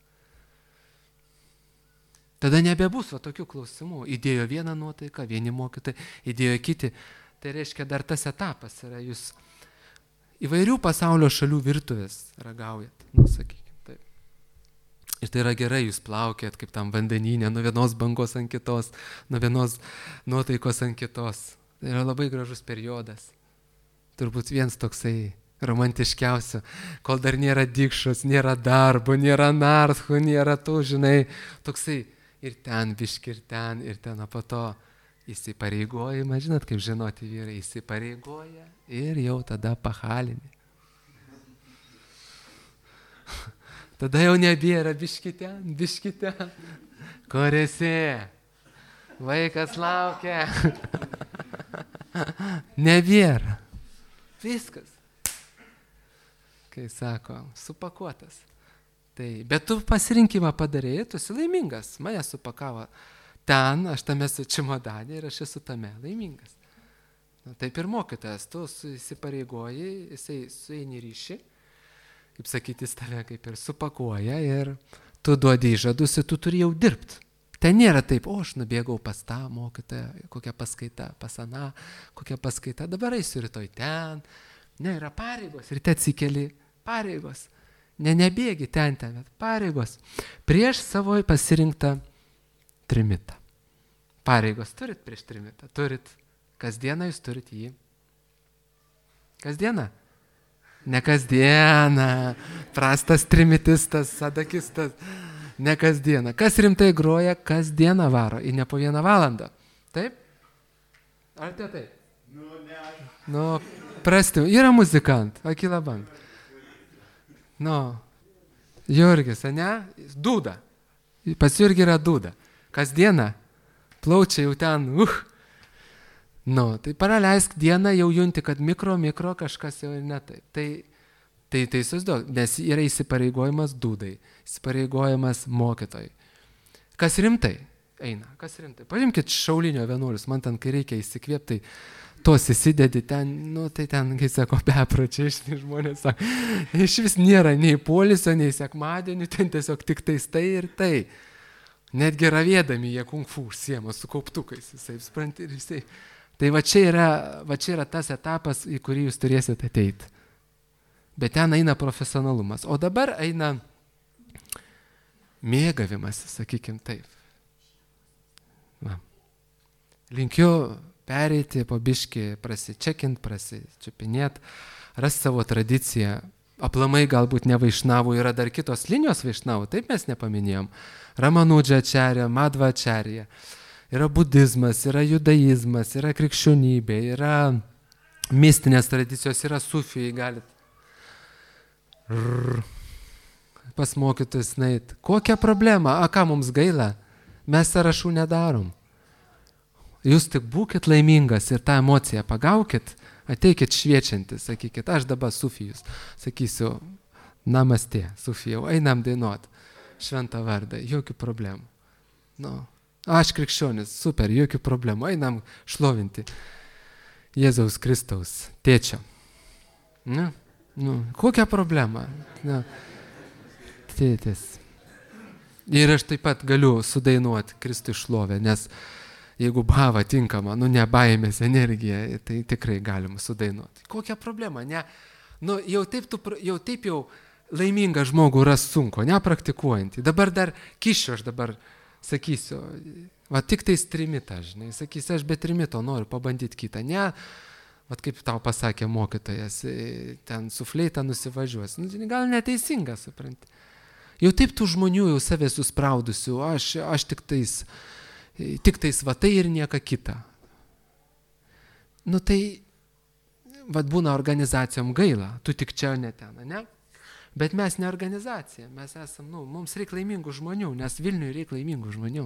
Tada nebebus tokių klausimų. Įdėjo vieną nuotaiką, vieni mokytojai, įdėjo kiti. Tai reiškia, dar tas etapas yra, jūs įvairių pasaulio šalių virtuvės ragaujat, sakykime, taip. Ir tai yra gerai, jūs plaukėt kaip tam vandenyne, nuo vienos bangos ant kitos, nuo vienos nuotaikos ant kitos. Tai yra labai gražus periodas. Turbūt vienas toksai romantiškiausių, kol dar nėra dikšos, nėra darbo, nėra narthų, nėra tų, žinai, toksai ir ten biški, ir ten, o po to įsipareigojimą, žinot, kaip žinoti vyrai, įsipareigoja ir jau tada pahalinė. Tada jau nebėra biški ten, kur esi, vaikas laukia, nebėra, viskas. Kai sako, supakuotas. Tai, bet tu pasirinkimą padarėjai, tu esi laimingas. Mane supakavo ten, aš tame esu čimodanė ir aš esu tame laimingas. Taip ir mokytojas, tu įsipareigoji, jisai sueini ryšį, kaip sakyti, jis tave kaip ir supakuoja ir tu duodi įžadus ir tu turi jau dirbti. Ten nėra taip, aš nubėgau pas tą mokytoją, kokia paskaita, pas aną, kokia paskaita, dabar eisiu rytoj ten. Ne, yra pareigos ir te atsikeli pareigos. Nebėgi ten, bet pareigos. Prieš savo pasirinktą trimitą. Pareigos turit prieš trimitą? Turit. Kasdieną jūs turit jį. Kasdieną? Ne kasdieną. Prastas trimitistas, sadakistas. Ne kasdieną. Kas rimtai groja, kasdieną varo. Ir ne po 1 valandą. Taip? Ar tai taip? Prasti. Yra muzikant. Akila bank. Jurgis, ne? Dūda. Pas Jurgį yra dūda. Kasdieną plaučia jau ten, tai praleisk dieną, jau junti, kad mikro kažkas jau ne taip. Tai susiduok, nes yra įsipareigojimas dūdai, įsipareigojimas mokytojai. Kas rimtai eina, Paimkit šaulinio vienuolius, man ten, kai reikia įsikvėpti, tos įsidedi ten, tai ten, kai sako, bepročiai, žmonės sako, iš vis nėra nei polisio, nei sekmadienių, ten tiesiog tik tai ir tai. Netgi ravėdami jie kung fu užsiema su kauptukais, jisai, supranti, ir jisai. Tai va čia yra tas etapas, į kurį jūs turėsite ateiti. Bet ten eina profesionalumas. O dabar eina mėgavimas, sakykim taip. Linkiu pereiti po biškį, prasičekint, prasičiupinėt, rasti savo tradiciją. Aplamai galbūt ne vaišnavų, yra dar kitos linijos vaišnavų, taip mes nepaminėjom. Ramanudža ačarija, Madva ačarija. Yra budizmas, yra judaizmas, yra krikščionybė, yra mistinės tradicijos, yra sufijai, galit pas mokytojus nait. Kokia problema? Ką mums gaila? Mes sąrašų nedarom. Jūs tik būkit laimingas ir tą emociją pagaukit, ateikit šviečiantis, sakykit, aš dabar sufijus, sakysiu, namastė, sufijau, einam dainuot, šventą vardą, jokių problemų. Aš krikščionis, super, jokių problemų, einam šlovinti Jėzaus Kristaus tėčio. Kokia problema? Tėtis. Ir aš taip pat galiu sudainuoti Kristui šlovę, nes jeigu bhava tinkama, ne baimės energija, tai tikrai galima sudainuoti. Kokia problema, ne? Jau taip laimingą žmogų ras sunku, nepraktikuojantį. Dabar dar kišiu, aš dabar sakysiu, va tik tais trimitą, žinai, sakysiu, aš be trimito noriu pabandyti kitą, ne, va kaip tau pasakė mokytojas, ten su fleita nusivažiuos, gal neteisinga, supranti. Jau taip tų žmonių jau savęs suspraudusių, aš tik tais va tai ir nieka kita. Tai, va būna organizacijom gaila, tu tik čia ne ten, ne? Bet mes ne organizacija, mes esam, mums reikia laimingų žmonių, nes Vilniui reikia laimingų žmonių,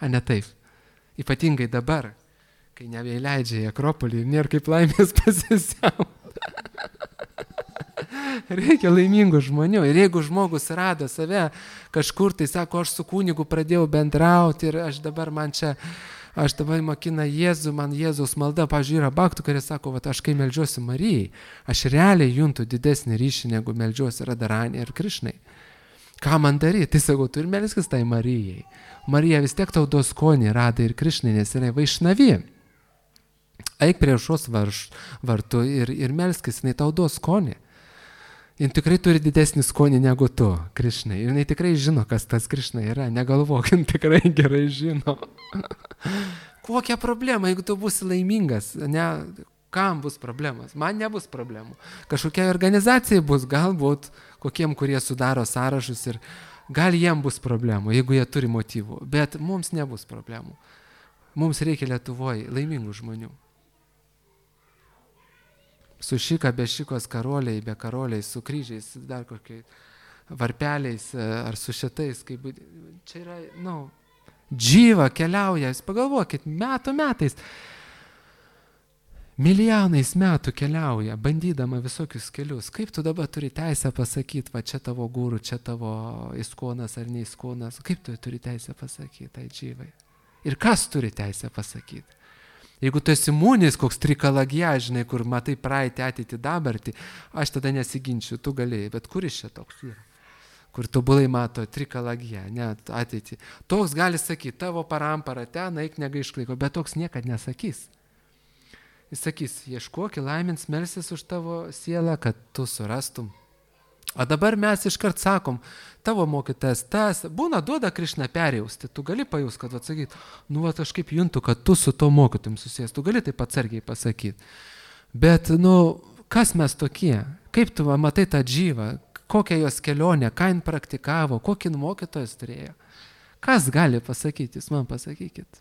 a ne taip. Ypatingai dabar, kai nebeįleidžia į Akropolį ir nėra kaip laimės pasisiauti. Reikia laimingų žmonių. Ir jeigu žmogus rado save kažkur, tai sako, aš su kunigu pradėjau bendrauti ir aš dabar mokina Jėzų, man Jėzaus malda, pavyzdžiui, yra baktų, kurie sako, aš kai meldžiuosi Marijai, aš realiai juntu didesnį ryšį, negu meldžiuosi Radharani ir Krišnai. Ką man daryti? Tai sakau, tu ir melskis tai Marijai. Marija vis tiek tau duos skonį Radai ir Krišnai, nes yra vaišnavi. Eik prie aušros vartų ir melskis, jinai tau duos skonį. Jis tikrai turi didesnį skonį negu tu, Krišnai. Ir jinai tikrai žino, kas tas Krišna yra. Negalvok, jis tikrai gerai žino. Kokia problema, jeigu tu būsi laimingas? Kam bus problemas? Man nebus problemų. Kažkokia organizacija bus, galbūt kokiem, kurie sudaro sąrašus ir gal jiem bus problemų, jeigu jie turi motyvų. Bet mums nebus problemų. Mums reikia Lietuvoje laimingų žmonių. Su šika, be šikos, karoliai, be karoliai, su kryžiais, dar kokiais varpeliais ar su šitais. Čia yra, džyva keliauja, jūs pagalvokit, metais, milijonais metų keliauja, bandydama visokius kelius. Kaip tu dabar turi teisę pasakyti, va čia tavo guru, čia tavo iskonas ar neiskonas, kaip tu turi teisę pasakyti tai džyvai? Ir kas turi teisę pasakyti? Jeigu tu esi mūnis, koks trikalagija, žinai, kur matai praeitį, ateitį, dabartį, aš tada nesiginčiu, tu galėjai, bet kuris čia toks yra? Kur tobulai mato trikalagija, ne ateitį. Toks gali sakyti, tavo parampara ten, eik negaišklaiko, bet toks niekad nesakys. Jis sakys, ieškok, laimins, melsis už tavo sielą, kad tu surastum. O dabar mes iškart sakom, tavo mokytas tas, būna duoda Krišna perjausti, tu gali pajust, kad atsakyt, aš kaip juntu, kad tu su to mokytum susijęs, tu gali taip atsargiai pasakyti. Bet, kas mes tokie? Kaip tu matai tą džyvą, kokią jos kelionę, ką jin praktikavo, kokį mokytojas turėjo? Kas gali pasakyti, jūs man pasakykit.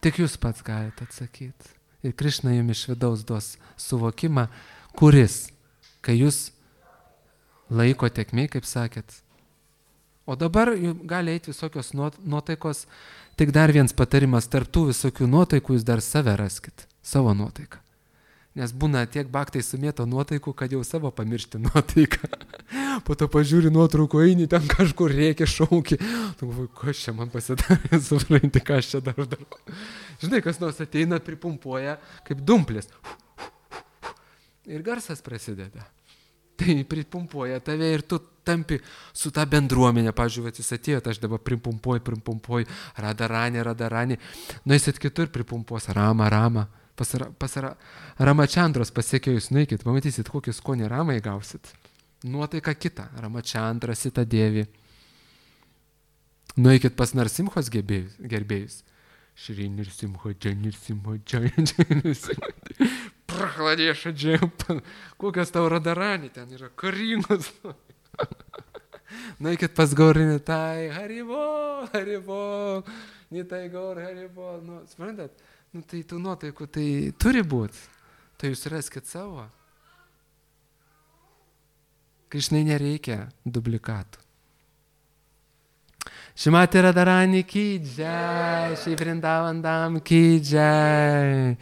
Tik jūs pats galite atsakyti. Ir Krišna jums iš vidaus duos suvokimą, kuris, kai jūs laiko tekmė, kaip sakėt. O dabar gali eiti visokios nuotaikos, tik dar vienas patarimas, tarp tų visokių nuotaikų jūs dar save raskit, savo nuotaiką. Nes būna tiek baktai sumėto nuotaikų, kad jau savo pamiršti nuotaiką. Po to pažiūri nuotraukų, eini ten kažkur rėkia, šauki. Tu galvoji, kas čia man pasidarė, supranti, ką aš čia darau. Žinai, kas nors ateina, pripumpuoja kaip dumplės. Ir garsas prasideda. Tai pripumpuoja tave ir tu tampi su ta bendruomenė. Pavyzdžiui, jis atėjo, aš dabar pripumpuoju, Radharani. Nueisit kitur, pripumpuos Rama. Pas Ramachandros pasiekėjus nueikit, pamatysit, kokį skonį Ramai gausit. Nuotaika kita, Ramachandra, Sita Devi. Nueikit pas Narsimhos gerbėjus. Šri Nirsimho, Nirsimho, Prahladėša džiampa. Kokios tau Radharani ten yra, karingos. Nueikit pas Gaurinitai, Haribo, Nitai Gaur, Haribo. Suprantat? Tai tų nuotaikų tai turi būti. Tai jūs raskit savo. Krišnai nereikia dublikatų. Šimati Radharani ki jai, Shri Vrindavan Dham ki jai.